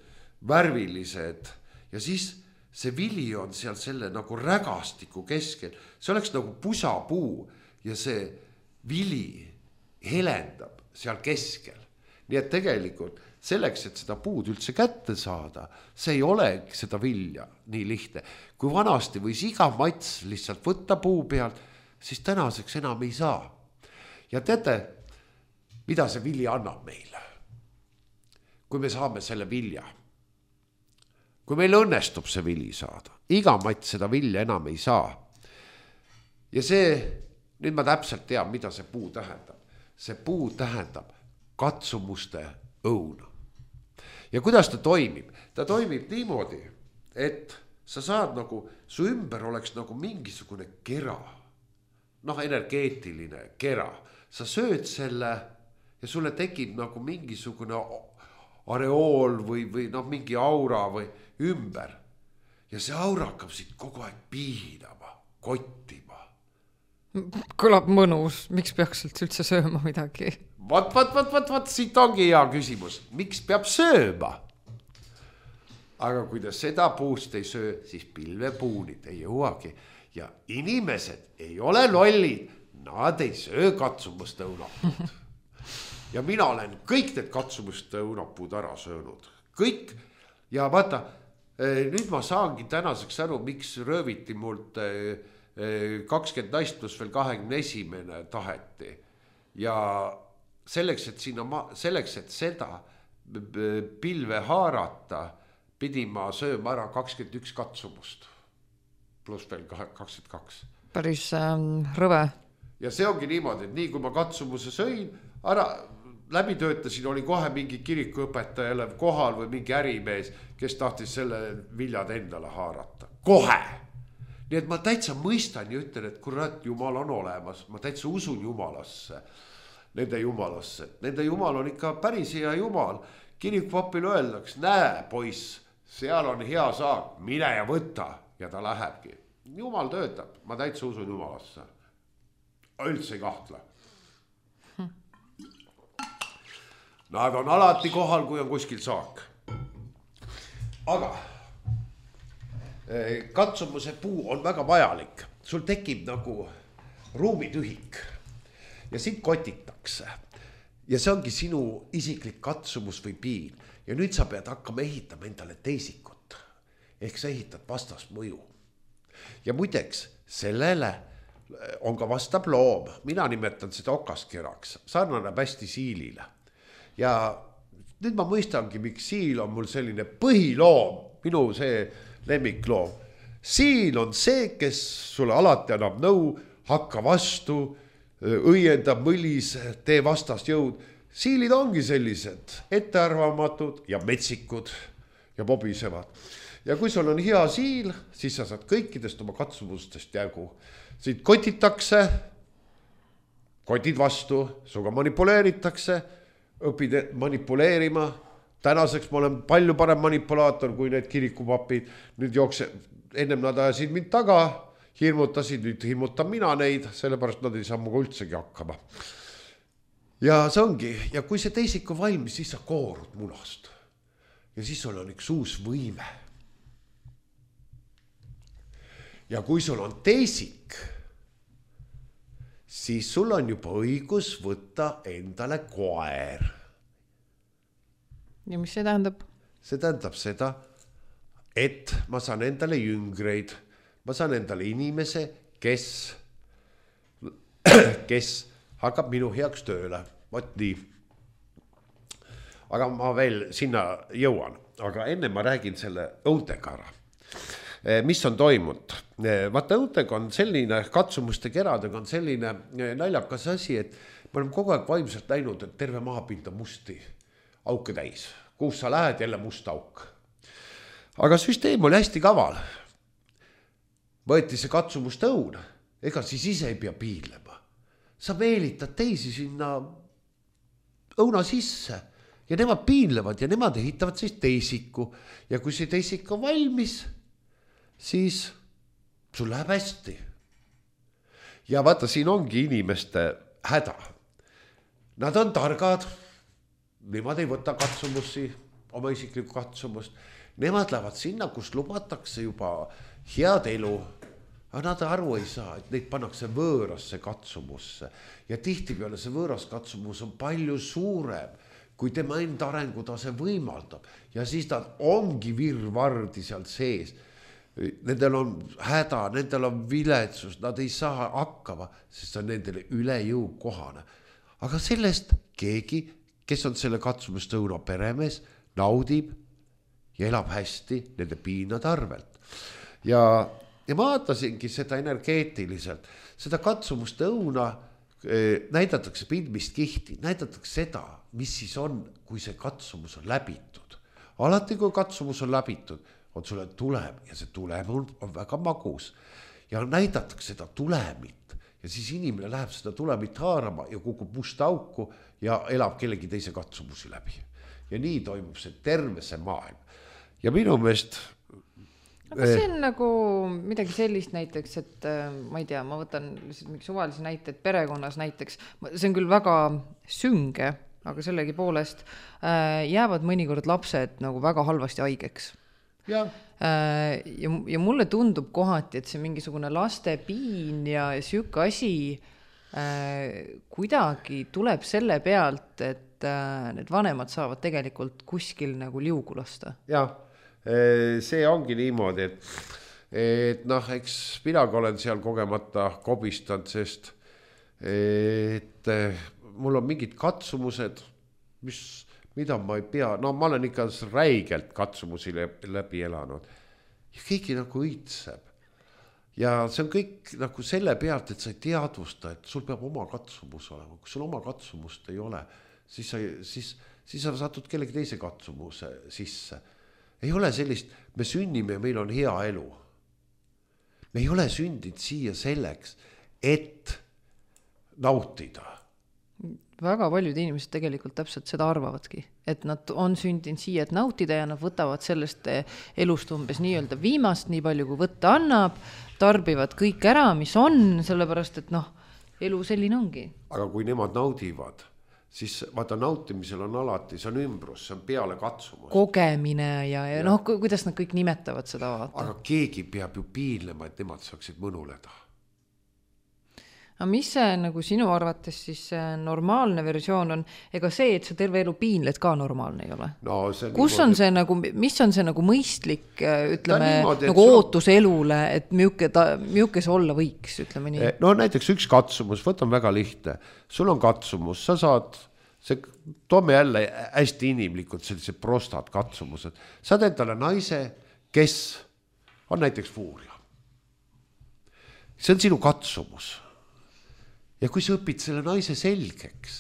värvilised ja siis see vili on seal selle nagu rägastiku keskel, see oleks nagu pusapuu ja see vili helendab seal keskel. Nii et tegelikult selleks, et seda puud üldse kätte saada, see ei ole seda vilja nii lihtne. Kui vanasti võis iga mats lihtsalt võtta puu pealt, siis tänaseks enam ei saa. Ja teate, mida see vilja annab meile? Kui me saame selle vilja, kui meil õnnestub see vili saada, iga mats seda vilja enam ei saa. Ja see, nüüd ma täpselt tean, mida see puu tähendab. See puu tähendab katsumuste õuna. Ja kuidas ta toimib? Ta toimib niimoodi, et sa saad nagu, su ümber oleks nagu mingisugune kera, noh energeetiline kera. Sa sööd selle ja sulle tekib nagu mingisugune areool või, või noh, mingi aura või ümber. Ja see aura hakkab siit kogu aeg piinama, kottima. Kõlab mõnus, miks peaks üldse sööma midagi? Vat, vat, vat, vat, vat, siit ongi hea küsimus. Miks peab sööma? Aga kui ta seda puust ei söö, siis pilvepuunid ei jõuagi. Ja inimesed ei ole lollid, nad ei söö katsumust õunapuud. Ja mina olen kõik need katsumust õunapuud ära söönud. Kõik. Ja vaata, nüüd ma saangi tänaseks aru, miks rööviti mult kakskümmend naist pluss veel kahekümne esimene taheti. Ja selleks, et sinna ma, selleks, et seda pilve haarata, pidi ma sööma ära kakskümmend üks katsumust. Pluss veel kakskümmend kaks. Päris ähm, rõve. Ja see ongi niimoodi, et nii kui ma katsumuse sõin, ära läbi töötasin, oli kohe mingi kirikuõpetajale kohal või mingi ärimees, kes tahtis selle viljad endale haarata. Kohe! Nii et ma täitsa mõistan ja ütlen, et kurat, Jumal on olemas. Ma täitsa usun Jumalasse, nende Jumalasse. Nende Jumal on ikka päris hea Jumal. Kirikupapil öeldaks, näe poiss, seal on hea saak, mine ja võta. Ja ta lähebki. Jumal töötab, ma täitsa usun Jumalasse. Üldse ei kahtle. Nad on alati kohal, kui on kuskil saak. Aga katsumuse puu on väga vajalik. Sul tekib nagu ruumitühik ja sind kotitakse. Ja see ongi sinu isiklik katsumus või piin. Ja nüüd sa pead hakkama ehitama endale teisikut. Ehk sa ehitad vastasmõju. Ja muideks, sellele on ka vastab loom. Mina nimetan seda okaskeraks. Sarnaneb hästi siilile. Ja nüüd ma mõistangi, miks siil on mul selline põhiloom. Minu see lemmikloom. Siil on see, kes sulle alati annab nõu, hakka vastu, õiendab mõlis, tee vastast jõud. Siilid ongi sellised ettearvamatud ja metsikud ja bobisevad. Ja kui sul on hea siil, siis sa saad kõikidest oma katsumustest jagu. Siit kotitakse, kotid vastu, suga manipuleeritakse, õpid manipuleerima. Tänaseks ma olen palju parem manipulaator kui need kirikupapid. Nüüd jookse, ennem nad ajasid mind taga, hirmutasid, nüüd hirmutan mina neid, sellepärast nad ei saa muga üldsegi hakkama. Ja see ongi, ja kui see teisik on valmis, siis sa koorud munast. Ja siis sul on üks uus võime. Ja kui sul on teisik, siis sul on juba õigus võtta endale koer. Ja mis see tähendab? See tähendab seda, et ma saan endale jüngreid, ma saan endale inimese, kes, kes hakkab minu heaks tööle. Vot nii. Aga ma veel sinna jõuan, aga enne ma räägin selle õuntega ära. Mis on toimunud? Vaata, õuntega on selline, katsumuste keradega on selline naljakas asi, et me oleme kogu aeg vaimselt näinud, et terve maapind on musti auke täis. Kus sa lähed, jälle must auk. Aga süsteem oli hästi kaval. Võeti see katsumuste õun, ega siis ise ei pea piilema. Sa meelitad teisi sinna õuna sisse ja nemad piinlevad ja nemad ehitavad siis teisiku. Ja kui see teisik on valmis, siis sul läheb hästi. ja vaata, siin ongi inimeste häda. Nad on targad, nemad ei võta katsumusi, oma isiklikku katsumust. Nemad lähevad sinna, kus lubatakse juba head elu, aga nad aru ei saa, et neid pannakse võõrasse katsumusse. Ja tihti peale see võõras katsumus on palju suurem, kui tema enda arengutase võimaldab. Ja siis nad ongi virvardi seal sees. Nendel on häda, nendel on viletsus, nad ei saa hakkama, sest on nendele üle jõu kohane. Aga sellest keegi, kes on selle katsumustõuna peremees, naudib ja elab hästi nende piinade arvelt. Ja, ja ma vaatasingi seda energeetiliselt. Seda katsumustõuna eh, näidatakse pilmist kihti, näidatakse seda, mis siis on, kui see katsumus on läbitud. Alati, kui katsumus on läbitud, on sulle tulem ja see tulem on, on väga magus. Ja näidatakse seda tulemit ja siis inimene läheb seda tulemit haarama ja kukub musta auku ja elab kellegi teise katsumusi läbi. Ja nii toimub see terve see maailm. Ja minu meelest... Aga see on nagu midagi sellist näiteks, et ma ei tea, ma võtan mingi suvalisi näiteid perekonnas näiteks. See on küll väga sünge, aga sellegi poolest jäävad mõnikord lapsed nagu väga halvasti haigeks. Ja. Ja, ja mulle tundub kohati, et see mingisugune laste piin ja süük asi kuidagi tuleb selle pealt, et need vanemad saavad tegelikult kuskil nagu liugu lasta. Jah, see ongi niimoodi, et, et noh, eks minagi olen seal kogemata kobistanud, sest et mul on mingid katsumused, mis, mida ma ei pea, no ma olen ikka räigelt katsumusi läbi elanud ja keegi nagu õitseb. Ja see on kõik nagu selle pealt, et sa ei teadvusta, et sul peab oma katsumus olema. Kui sul oma katsumust ei ole, siis sa, siis, siis sa satud kellegi teise katsumuse sisse. Ei ole sellist, me sünnime ja meil on hea elu. Me ei ole sündinud siia selleks, et nautida. Väga paljud inimesed tegelikult täpselt seda arvavadki, et nad on sündinud siia, et nautida ja nad võtavad sellest elust umbes nii-öelda viimast, nii palju kui võtta annab, tarbivad kõik ära, mis on, sellepärast, et noh, elu selline ongi. Aga kui nemad naudivad, siis vaata nautimisel on alati, see on ümbrus, see on peale katsumus. Kogemine ja, ja, ja. noh, kuidas nad kõik nimetavad seda vaata. Aga keegi peab ju piinlema, et nemad saaksid mõnuleda. Aga mis see nagu sinu arvates siis normaalne versioon on, ega see, et sa terve elu piinled ka normaalne ei ole? No, see kus on see nagu, mis on see nagu mõistlik, ütleme, niimoodi, nagu ootus sul... elule, et miuke, ta, miuke see olla võiks, ütleme nii? No näiteks üks katsumus, võtan väga lihtne. Sul on katsumus, sa saad, see, toome jälle hästi inimlikud sellised prostad katsumused. Saad endale naise, kes on näiteks fuuria. See on sinu katsumus. Ja kui sa õpid selle naise selgeks,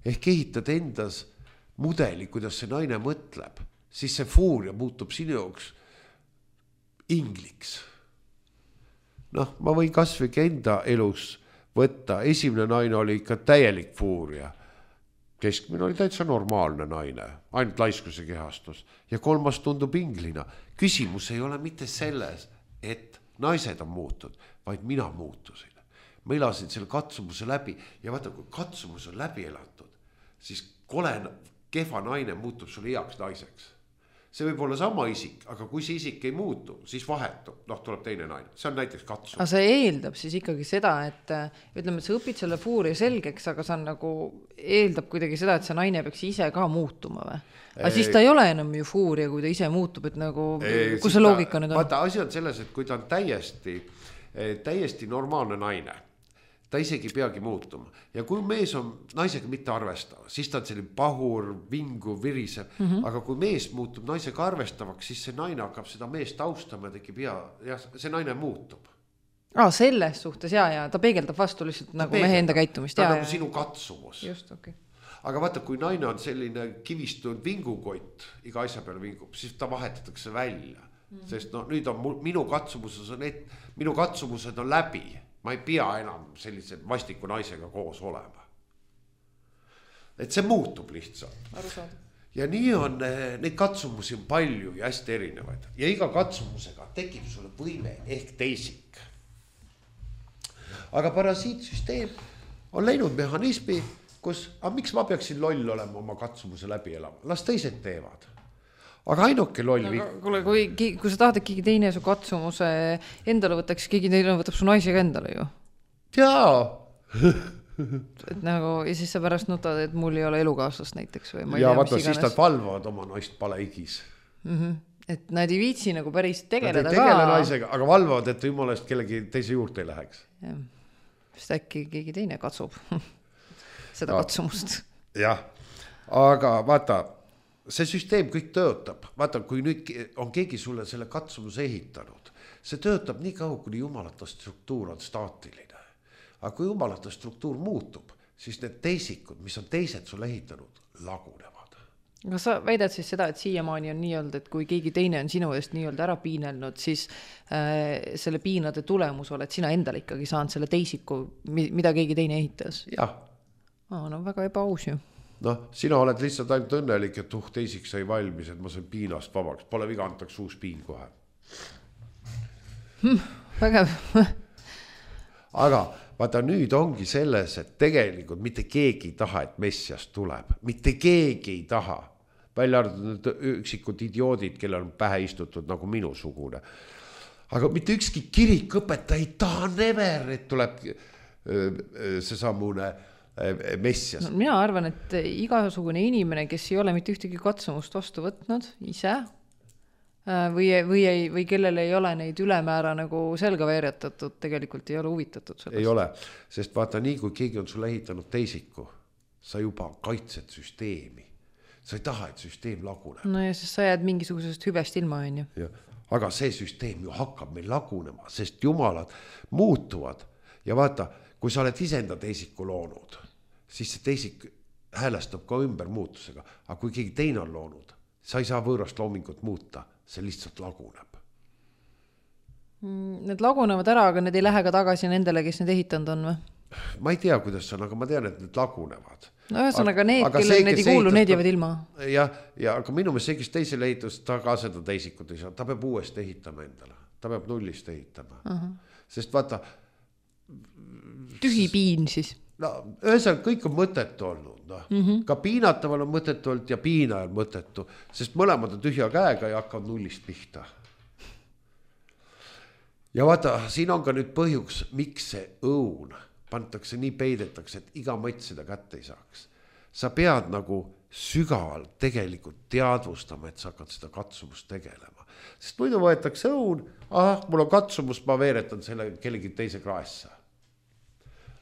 ehk ehitad endas mudeli, kuidas see naine mõtleb, siis see fuuria muutub sinu jaoks ingliks. Noh, ma võin kasvõi enda elus võtta. Esimene naine oli ikka täielik fuuria. Keskmine oli täitsa normaalne naine, ainult laiskuse kehastus. Ja kolmas tundub inglina. Küsimus ei ole mitte selles, et naised on muutud, vaid mina muutusin. Ma elasin selle katsumuse läbi ja vaata, kui katsumus on läbi elatud, siis kole kehva naine muutub sulle heaks naiseks. See võib olla sama isik, aga kui see isik ei muutu, siis vahetub, noh, tuleb teine naine. See on näiteks katsumus. Aga see eeldab siis ikkagi seda, et ütleme, et sa õpid selle fuuria selgeks, aga see on nagu, eeldab kuidagi seda, et see naine peaks ise ka muutuma või? Aga siis ta ei ole enam ju fuuria, kui ta ise muutub, et nagu, ei, kus see loogika nüüd on? Vaata, asi on selles, et kui ta on täiesti, täiesti normaalne naine, ta isegi peagi muutuma. Ja kui mees on naisega mitte arvestava, siis ta on selline pahur, vingu, virisev. Mm -hmm. Aga kui mees muutub naisega arvestavaks, siis see naine hakkab seda meest austama ja tekib hea, ja see naine muutub. Ah, selles suhtes, jaa, ja ta peegeldab vastu lihtsalt ta nagu peegeldab. Mehe enda käitumist. Ta on nagu sinu katsumus. Just, okei. Okay. Aga vaata, kui naine on selline kivistunud vingukott, iga asja peale vingub, siis ta vahetatakse välja. Mm -hmm. Sest no, nüüd on minu katsumused on, et, minu katsumused on läbi. Ma ei pea enam sellise vastiku naisega koos olema. Et see muutub lihtsalt. Arusaada. Ja nii on, neid katsumusi on palju ja hästi erinevaid. Ja iga katsumusega tekib sulle võime ehk teisik. aga parasiitsüsteem on läinud mehhanismi, kus, aga miks ma peaksin loll olema oma katsumuse läbi elama, las teised teevad. Aga ainuke loll no,. Kuule, kui, kui sa tahad, et keegi teine su katsumuse endale võtaks, keegi teine võtab su naisega endale ju. Jaa. et nagu, ja siis sa pärast nutad, et mul ei ole elukaaslast näiteks. Või ma ei ja tea, vaata, siis nad valvavad oma naist paleigis. Mm-hmm. Et nad ei viitsi nagu päris tegeleda ka. Tegele naisega, aga valvavad, et jumalast kellegi teise juurde ei läheks. Ja. Sest äkki keegi teine katsub seda no. katsumust. Jah, aga vaata, see süsteem kõik töötab, vaata, kui nüüd on keegi sulle selle katsumuse ehitanud, see töötab nii kaua, kuni jumalata struktuur on staatiline. Aga kui jumalata struktuur muutub, siis need teisikud, mis on teised sulle ehitanud, lagunevad. Kas sa väidad siis seda, et siiamaani on nii olnud, et kui keegi teine on sinu eest nii olnud ära piinelnud, siis äh, selle piinade tulemus oled sina endale ikkagi saanud selle teisiku, mida keegi teine ehitas? Jah. Aa, no väga ebaaus ju. Noh, sina oled lihtsalt ainult õnnelik, et uh, teisik sai valmis, et ma sain piinast vabaks. Pole viga, antaks uus piin kohe. Hmm, vägev. aga vaata, nüüd ongi selles, et tegelikult mitte keegi ei taha, et messiast tuleb. Mitte keegi ei taha. Välja arvatud üksikud idioodid, kellel on pähe istutud nagu minusugune. Aga mitte ükski kirikõpetaja ei taha never, et tuleb see sammune messias. No, mina arvan, et igasugune inimene, kes ei ole mitte ühtegi katsumust vastu võtnud ise või, või, ei, või kellel ei ole neid ülemäära nagu selga veeretatud, tegelikult ei ole huvitatud sellest. Ei ole, sest vaata nii, kui keegi on sulle ehitanud teisiku, sa juba kaitsed süsteemi. Sa ei taha, et süsteem laguneb. No ja siis sa jääd mingisugusest hüvest ilma, on ju. Ja, aga see süsteem ju hakkab meil lagunema, sest jumalad muutuvad ja vaata, kui sa oled isenda teisiku loonud, siis see teisik häälestab ka ümber muutusega. Aga kui keegi teine on loonud, sa ei saa võõrast loomingut muuta, see lihtsalt laguneb. Need lagunevad ära, aga need ei lähe ka tagasi nendele, kes need ehitanud on või? Ma ei tea, kuidas on, aga ma tean, et need lagunevad. No ühesõnaga need, kellel need ei kuulu, need jäävad ilma. Ja, ja aga minu meelest see, kes teisele ehitus, ta ka seda teisikut ei saa. Ta peab uuesti ehitama endale. Ta peab nullist ehitama. Uh-huh. Sest vaata... Tühi piin siis. No, ühesõnaga kõik on mõtetu olnud. No. Mm-hmm. Ka piinataval on mõtetu olnud ja piina on mõtetu, sest mõlemad on tühja käega ja hakkavad nullist pihta. Ja vaata, siin on ka nüüd põhjuks, miks see õun pantakse nii peidetakse, et iga mõtt seda kätte ei saaks. Sa pead nagu sügavalt tegelikult teadvustama, et sa hakkad seda katsumust tegelema. Sest muidu võetakse õun, ah, mul on katsumus, ma veeretan selle kellegi teise kraessa.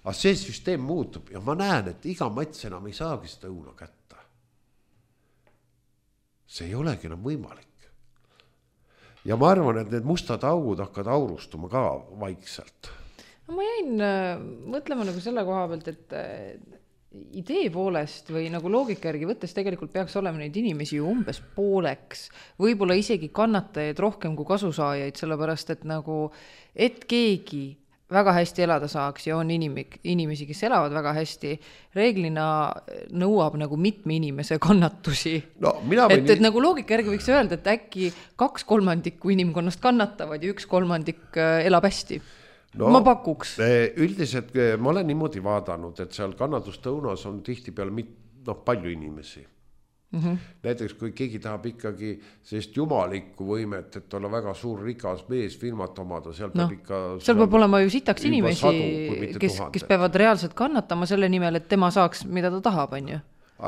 Aga see süsteem muutub ja ma näen, et iga mats enam ei saagi seda õuna kätta. See ei olegi enam võimalik. Ja ma arvan, et need mustad augud hakkavad aurustuma ka vaikselt. No ma jäin äh, mõtlema nagu selle koha pealt, et äh, idee poolest või nagu loogika järgi võttes tegelikult peaks olema neid inimesi ju umbes pooleks. Võib-olla isegi kannatajaid rohkem kui kasusaajaid, sellepärast et nagu, et keegi väga hästi elada saaks ja on inimik, inimesi, kes elavad väga hästi, reeglina nõuab nagu mitme inimese kannatusi. No, mina võin... et, et nagu loogika järgi võiks öelda, et äkki kaks kolmandikku inimkonnast kannatavad ja üks kolmandik elab hästi. No, ma pakuks. Üldiselt ma olen niimoodi vaadanud, et seal kannatustõunas on tihti peal mit, no, palju inimesi. Mm-hmm. Näiteks kui keegi tahab ikkagi sellist jumalikku võimet, et olla väga suur rikas mees firmat omada, seal no, peab ikka seal peab olema ju sitaks inimesi, sadu, kes, kes peavad reaalselt kannatama selle nimel, et tema saaks, mida ta tahab, on ju.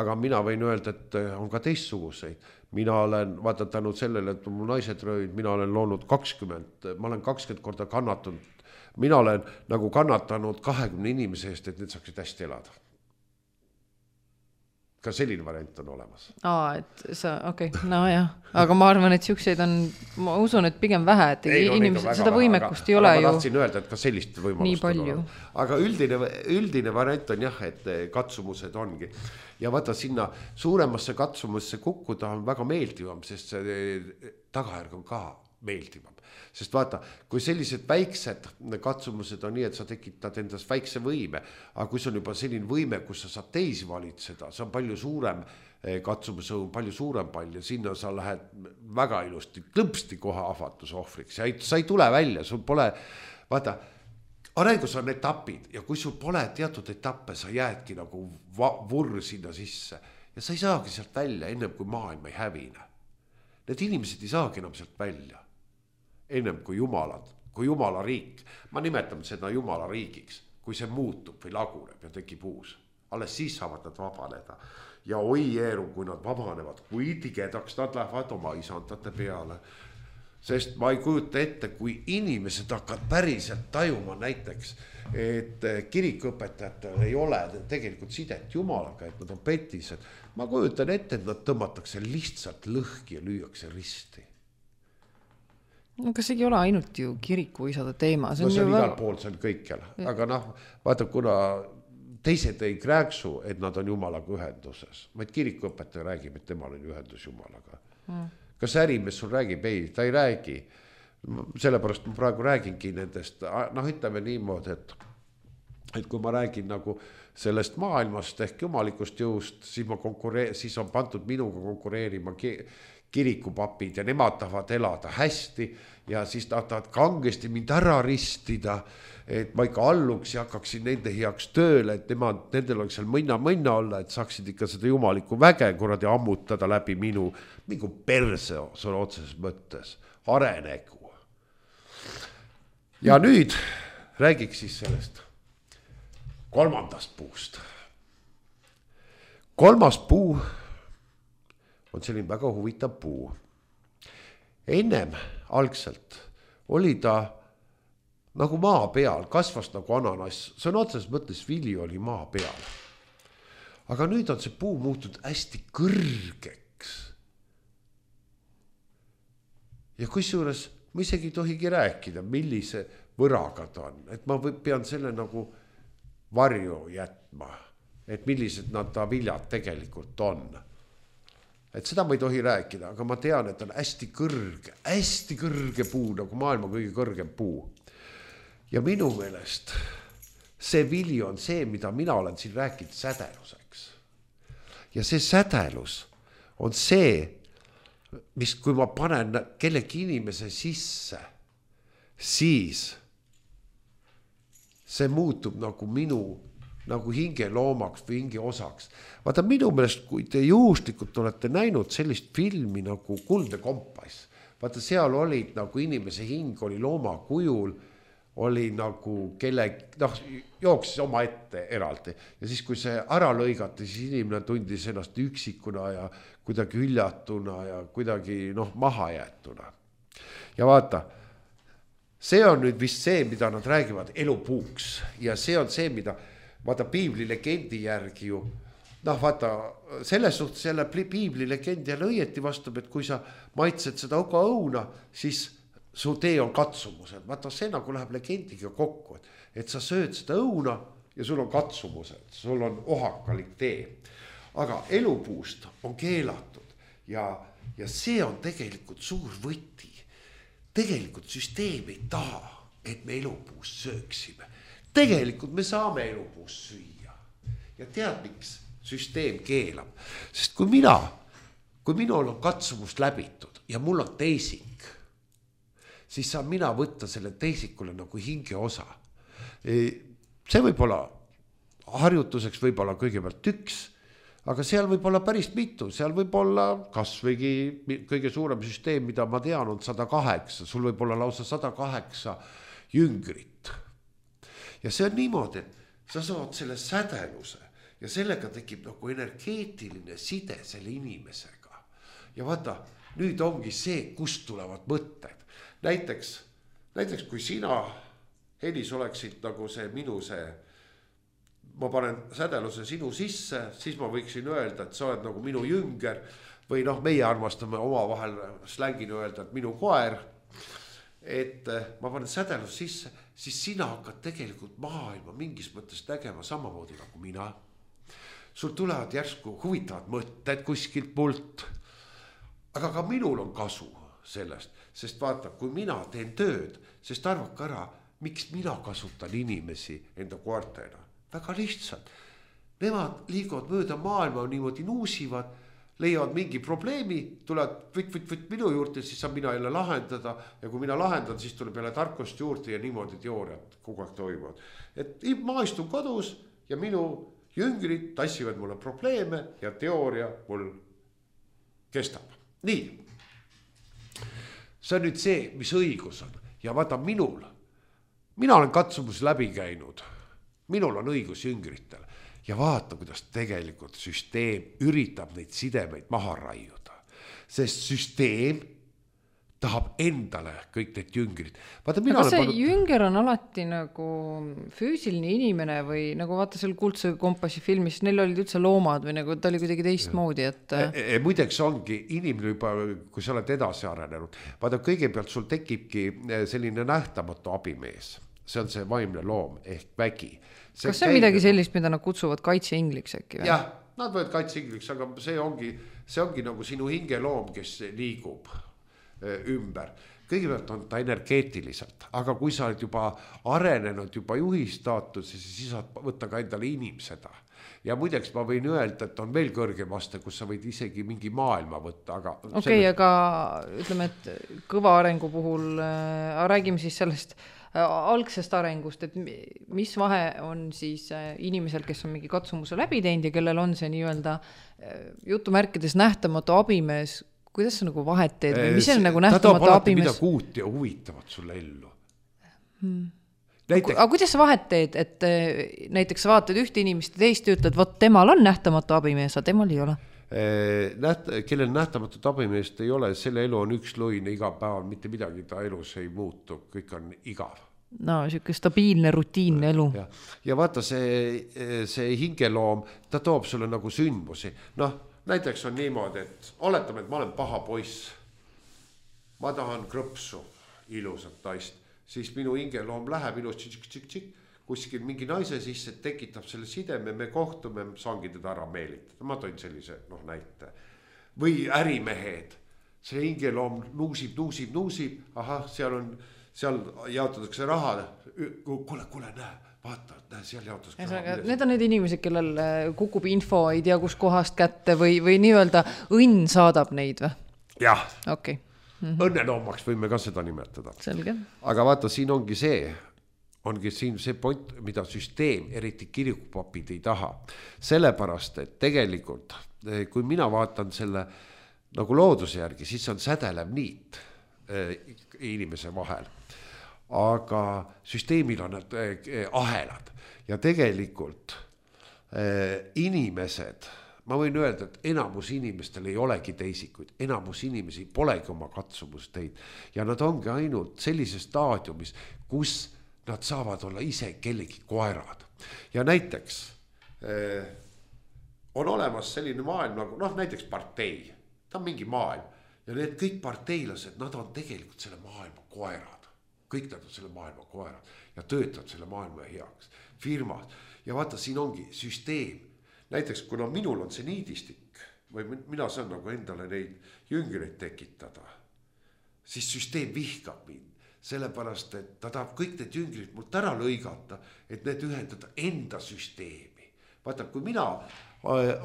Aga mina võin öelda, et on ka teistsuguseid. Mina olen, vaata tänud sellele, et mul naised röövid, mina olen loonud kakskümmend, ma olen kakskümmend korda kannatanud. Mina olen nagu kannatanud kahekümne inimese eest, et need saaksid hästi elada. Ka selline variant on olemas. Aa, et sa, okei, okay. No jah. Aga ma arvan, et siukseid on, ma usun, et pigem vähe, et ei, no, inimesed seda võimekust aga, ei ole ju. Ma tahtsin öelda, et ka sellist võimalust on olemas. Aga üldine, üldine variant on jah, et katsumused ongi. Ja vaata sinna suuremasse katsumusse kukkuda on väga meeldivam, sest see tagajärg on ka meeldivam. Sest vaata, kui sellised väiksed katsumused on nii, et sa tekitad endas väikse võime, aga kui see on juba selline võime, kus sa saad teisi valitseda, see on palju suurem katsumus, on palju suurem palju, sinna sa lähed väga ilusti, klõpsti kohe ahvatuse ohvriks ja ei, sa ei tule välja, sul pole, vaata, arengus on etapid ja kui sul pole teatud etappe, sa jäädki nagu vurr sinna sisse ja sa ei saagi sealt välja ennem kui maailm ei hävine. Need inimesed ei saagi enam sealt välja ennem kui jumalad, kui jumala riik. Ma nimetan seda jumala riigiks, kui see muutub või laguneb ja tekib uus. Alles siis saavad nad vabaneda. Ja oi eeru, kui nad vabanevad, kui tigedaks nad lähevad oma isandate peale. Sest ma ei kujuta ette, kui inimesed hakkavad päriselt tajuma näiteks, et kirikuõpetajatel ei ole tegelikult sidet jumalaga, et nad on petised. Ma kujutan ette, et nad tõmmatakse lihtsalt lõhki ja lüüakse risti. No kas ei ole ainult ju kirikuisade teema? See on, no, see on igal väga... pool, see on kõikjal. Aga noh, vaata, kuna teised ei rääksu, et nad on jumalaga ühenduses. Vaid kirikuõpetaja räägib, et temal on ühendus jumalaga. Mm. Kas ärimees sul räägib? Ei, ta ei räägi. Sellepärast ma praegu räägingi nendest, noh ütleme niimoodi, et, et kui ma räägin nagu sellest maailmast ehk jumalikust jõust, siis, ma konkuree- siis on pandud minuga konkureerima kirikupapid ja nemad tahavad elada hästi ja siis nad tahavad kangesti mind ära ristida, et ma ikka alluks ja hakkaksin nende heaks tööle, et nemad, nendel oleks seal mõnna-mõnna olla, et saaksid ikka seda jumalikku väge kuradi ammutada läbi minu, mingu perse sõna otseses mõttes, arenegu. Ja nüüd räägiks siis sellest kolmandast puust. Kolmas puu on selline väga huvitav puu. Ennem algselt oli ta nagu maa peal, kasvas nagu ananas, see on otseses mõttes vili oli maa peal. Aga nüüd on see puu muutunud hästi kõrgeks. Ja kusjuures ma isegi ei tohigi rääkida, millise võraga ta on, et ma pean selle nagu varju jätma, et millised nad ta viljad tegelikult on. Et seda ma ei tohi rääkida, aga ma tean, et on hästi kõrge, hästi kõrge puu, nagu maailma kõige kõrgem puu. Ja minu meelest see vili on see, mida mina olen siin rääkinud sädeluseks. Ja see sädelus on see, mis kui ma panen kellegi inimese sisse, siis see muutub nagu minu, nagu hinge loomaks või hinge osaks. Vaata minu meelest, kui te juhuslikult olete näinud sellist filmi nagu Kuldne kompass, vaata seal olid nagu inimese hing oli looma kujul, oli nagu kelle, noh, jooksis oma ette eraldi. Ja siis, kui see ära lõigati, siis inimene tundis ennast üksikuna ja kuidagi üljatuna ja kuidagi, noh, maha jäetuna. Ja vaata, see on nüüd vist see, mida nad räägivad elupuuks. Ja see on see, mida, vaata, piibli legendi järgi ju, noh, vaata, selles suhtes jälle piibli legendi jälle õieti vastab, et kui sa maitsed seda oga õuna, siis su tee on katsumused. Vaata, see nagu läheb legendiga kokku, et sa sööd seda õuna ja sul on katsumused, sul on ohakalik tee. Aga elupuust on keelatud ja, ja see on tegelikult suur võti. Tegelikult süsteem ei taha, et me elupuust sööksime. Tegelikult me saame elupuust süüa. Ja tead, miks süsteem keelab? Sest kui mina, kui minul on katsumust läbitud ja mul on teisik, siis saan mina võtta selle teisikule nagu hinge osa. See võib olla harjutuseks, võib olla kõigepealt üks, aga seal võib olla päris mitu, seal võib olla kas võigi kõige suurem süsteem, mida ma tean, on sada kaheksa, sul võib olla lausa sada kaheksa jüngrit. Ja see on niimoodi, et sa saad selle sädeluse ja sellega tekib nagu energeetiline side selle inimesega. Ja vaata, nüüd ongi see, kust tulevad mõtted. Näiteks, näiteks kui sina, Helis, oleksid nagu see minu see, ma panen sädeluse sinu sisse, siis ma võiksin öelda, et sa oled nagu minu jünger või noh, meie armastame oma vahel slängina öelda, et minu koer, et ma panen sädeluse sisse, siis sina hakkad tegelikult maailma mingis mõttes nägema samamoodi nagu mina. Sul tulevad järsku huvitavad mõtted kuskilt mult, aga ka minul on kasu sellest, sest vaata, kui mina teen tööd, sest arvake ära, miks mina kasutan inimesi enda koertena. Väga lihtsalt. Nemad liiguvad mööda maailma, niimoodi nuusivad leiavad mingi probleemi, tulevad võt, võt, võt minu juurde, siis saan mina jälle lahendada ja kui mina lahendan, siis tuleb jälle tarkust juurde ja niimoodi teooriad kogu aeg toimuvad. Et ma istun kodus ja minu jüngrid tassivad mulle probleeme ja teooria mul kestab. Nii, see on nüüd see, mis õigus on ja vaata minul, mina olen katsumus läbi käinud, minul on õigus jüngritel. Ja vaata, kuidas tegelikult süsteem üritab neid sidemeid maha raiuda. Sest süsteem tahab endale kõik need jüngrid. Vaata, mina aga see pannud... jünger on alati nagu füüsiline inimene või nagu vaata seal Kuldse kompassi filmis, neil olid üldse loomad või nagu ta oli kuidagi teistmoodi, et... E, e, muideks ongi inimene juba, kui sa oled edasi arenenud. Vaata, kõigepealt sul tekibki selline nähtamatu abimees. See on see vaimne loom ehk vägi. See kas see on midagi sellist, mida nad kutsuvad kaitseingliks äkki? Jah, nad võivad kaitseingliks, aga see ongi, see ongi nagu sinu hingeloom, kes liigub ümber. Kõigepealt on ta energeetiliselt, aga kui sa oled juba arenenud, juba juhistaatus, siis saad võtta ka endale inimseda. Ja muideks ma võin öelda, et on veel kõrgem aste, kus sa võid isegi mingi maailma võtta. Okei, okay, selles... aga ütleme, et kõva arengu puhul äh, räägime siis sellest algsest arengust, et mis vahe on siis inimesel, kes on mingi katsumuse läbi teinud ja kellel on see nii-öelda jutumärkides nähtamatu abimees, kuidas sa nagu vahet teed või mis on nagu nähtamatu abimees? Ta toob alati midagi uut ja huvitavat sulle ellu. Hmm. Näiteks... aga kuidas sa vahet teed, et näiteks sa vaatad ühte inimest ja teist ütled, võt temal on nähtamatu abimees, aga temal ei ole? Näht, kellel nähtamatut abimeest ei ole, selle elu on üks luine iga päeval, mitte midagi ta elus ei muutu, kõik on igav. No, siuke stabiilne, rutiinne elu. Ja, ja vaata see, see hingeloom, ta toob sulle nagu sündmusi. Noh, näiteks on niimoodi, et oletame, et ma olen paha poiss. Ma tahan krõpsu, ilusat naist. Siis minu hingeloom läheb ilus tšik-tšik-tšik. Kuskil mingi naise sisse tekitab selle sideme, me kohtume, saangi teda ära meelitada. Ma toin sellise noh, näite. Või ärimehed. See hingeloom nuusib, nuusib, nuusib. Aha, seal on, seal jaotatakse raha. Kule, kule, näe, vaata, näe, seal jaotatakse raha. Need on need inimesed, kellel kukub info, ei tea kus kohast kätte või, või nii-öelda õnn saadab neid või? Jah. Okay. Mm-hmm. Õnneloomaks võime ka seda nimetada. Selge. Aga vaata, siin ongi see... ongi siin see point, mida süsteem, eriti kirikupapid ei taha. Sellepärast, et tegelikult, kui mina vaatan selle nagu looduse järgi, siis on sädelev niit inimese vahel. Aga süsteemil on need ahelad ja tegelikult inimesed, ma võin öelda, et enamus inimestel ei olegi teisikuid, enamus inimesi polegi oma katsumust teid ja nad ongi ainult sellises staadiumis, kus nad saavad olla ise kellegi koerad. Ja näiteks eh, on olemas selline maailm nagu, noh näiteks partei. Ta on mingi maailm. Ja need kõik parteilased, nad on tegelikult selle maailma koerad. Kõik nad on selle maailma koerad. Ja töötavad selle maailma heaks. Firmad. Ja vaata, siin ongi süsteem. Näiteks, kuna minul on see niidistik, või mina saan nagu endale neid jüngreid tekitada, siis süsteem vihkab mind. Sellepärast, et ta tahab kõik need jüngrid mult ära lõigata, et need ühendada enda süsteemi. Vaata, kui mina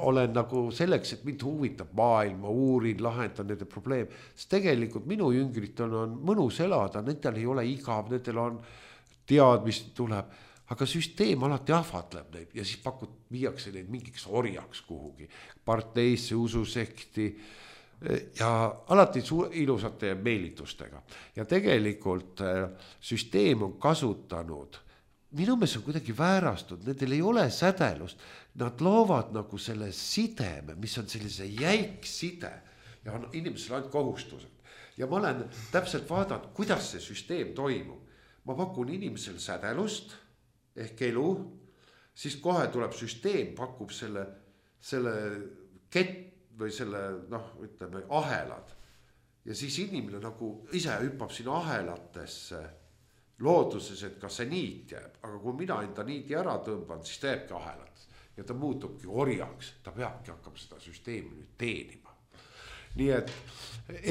olen nagu selleks, et mind huvitab maailma, uurin, lahendan nende probleem, siis tegelikult minu jüngritel on mõnus elada, nendel ei ole igav, nendel on tead, mis tuleb, aga süsteem alati ahvatleb neid ja siis pakut, viiakse neid mingiks orjaks kuhugi, parteisse, ususekti, ja alati ilusate meelitustega. Ja tegelikult süsteem on kasutanud, minu meelest on kuidagi väärastud, nendel ei ole sädelust, nad loovad nagu selle sideme, mis on sellise jäik side ja on inimesel ainult kohustused. Ja ma olen täpselt vaadanud, kuidas see süsteem toimub. Ma pakun inimesel sädelust ehk elu, siis kohe tuleb süsteem, pakub selle, selle kett, või selle, noh, ütleme, ahelad. Ja siis inimene nagu ise hüppab sinna ahelatesse looduses, et kas see niit jääb. Aga kui mina enda niiti ära tõmban, siis ta jääbki ahelat. Ja ta muutubki orjaks. Ta peabki hakkama seda süsteemi nüüd teenima. Nii et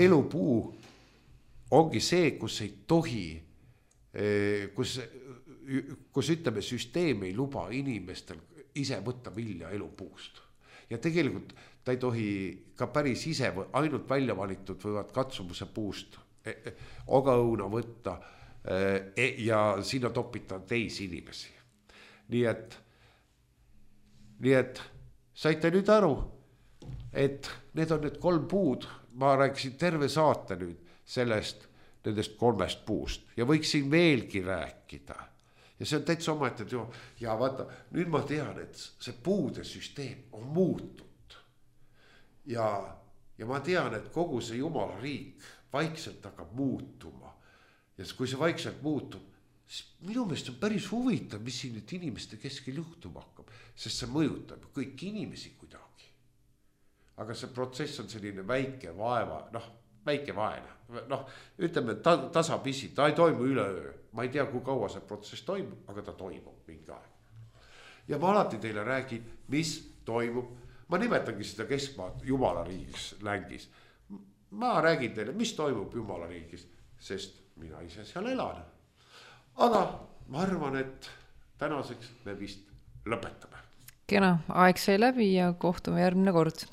elupuu ongi see, kus ei tohi, kus, kus ütleme, süsteem ei luba inimestel ise võtta vilja elupuust. Ja tegelikult ta ei tohi ka päris ise või ainult välja valitud võivad katsumuse puust ogaõuna võtta ja sinna topita teisi inimesi. Nii et, nii et saite nüüd aru, et need on need kolm puud, ma rääkisin terve saate nüüd sellest, nendest kolmest puust ja võiksin veelgi rääkida. Ja see on täitsa oma, et jo, ja vaata, nüüd ma tean, et see puude süsteem on muutunud. Ja, ja ma tean, et kogu see Jumala riik vaikselt hakkab muutuma. Ja kui see vaikselt muutub, siis minu meelest on päris huvitav, mis siin nüüd inimeste keskel juhtuma hakkab, sest see mõjutab kõik inimesi kuidagi. Aga see protsess on selline väike vaeva, noh, väike vaene, noh, ütleme ta, tasapisi, ta ei toimu üleöö. Ma ei tea, kui kaua see protsess toimub, aga ta toimub mingi aeg. Ja ma alati teile räägin, mis toimub. Ma nimetangi seda keskmaad Jumala riigis längis. Ma räägin teile, mis toimub Jumala riigis, sest mina ise seal elan. Aga ma arvan, et tänaseks me vist lõpetame. Kena, aeg sai läbi ja kohtume järgmine kord.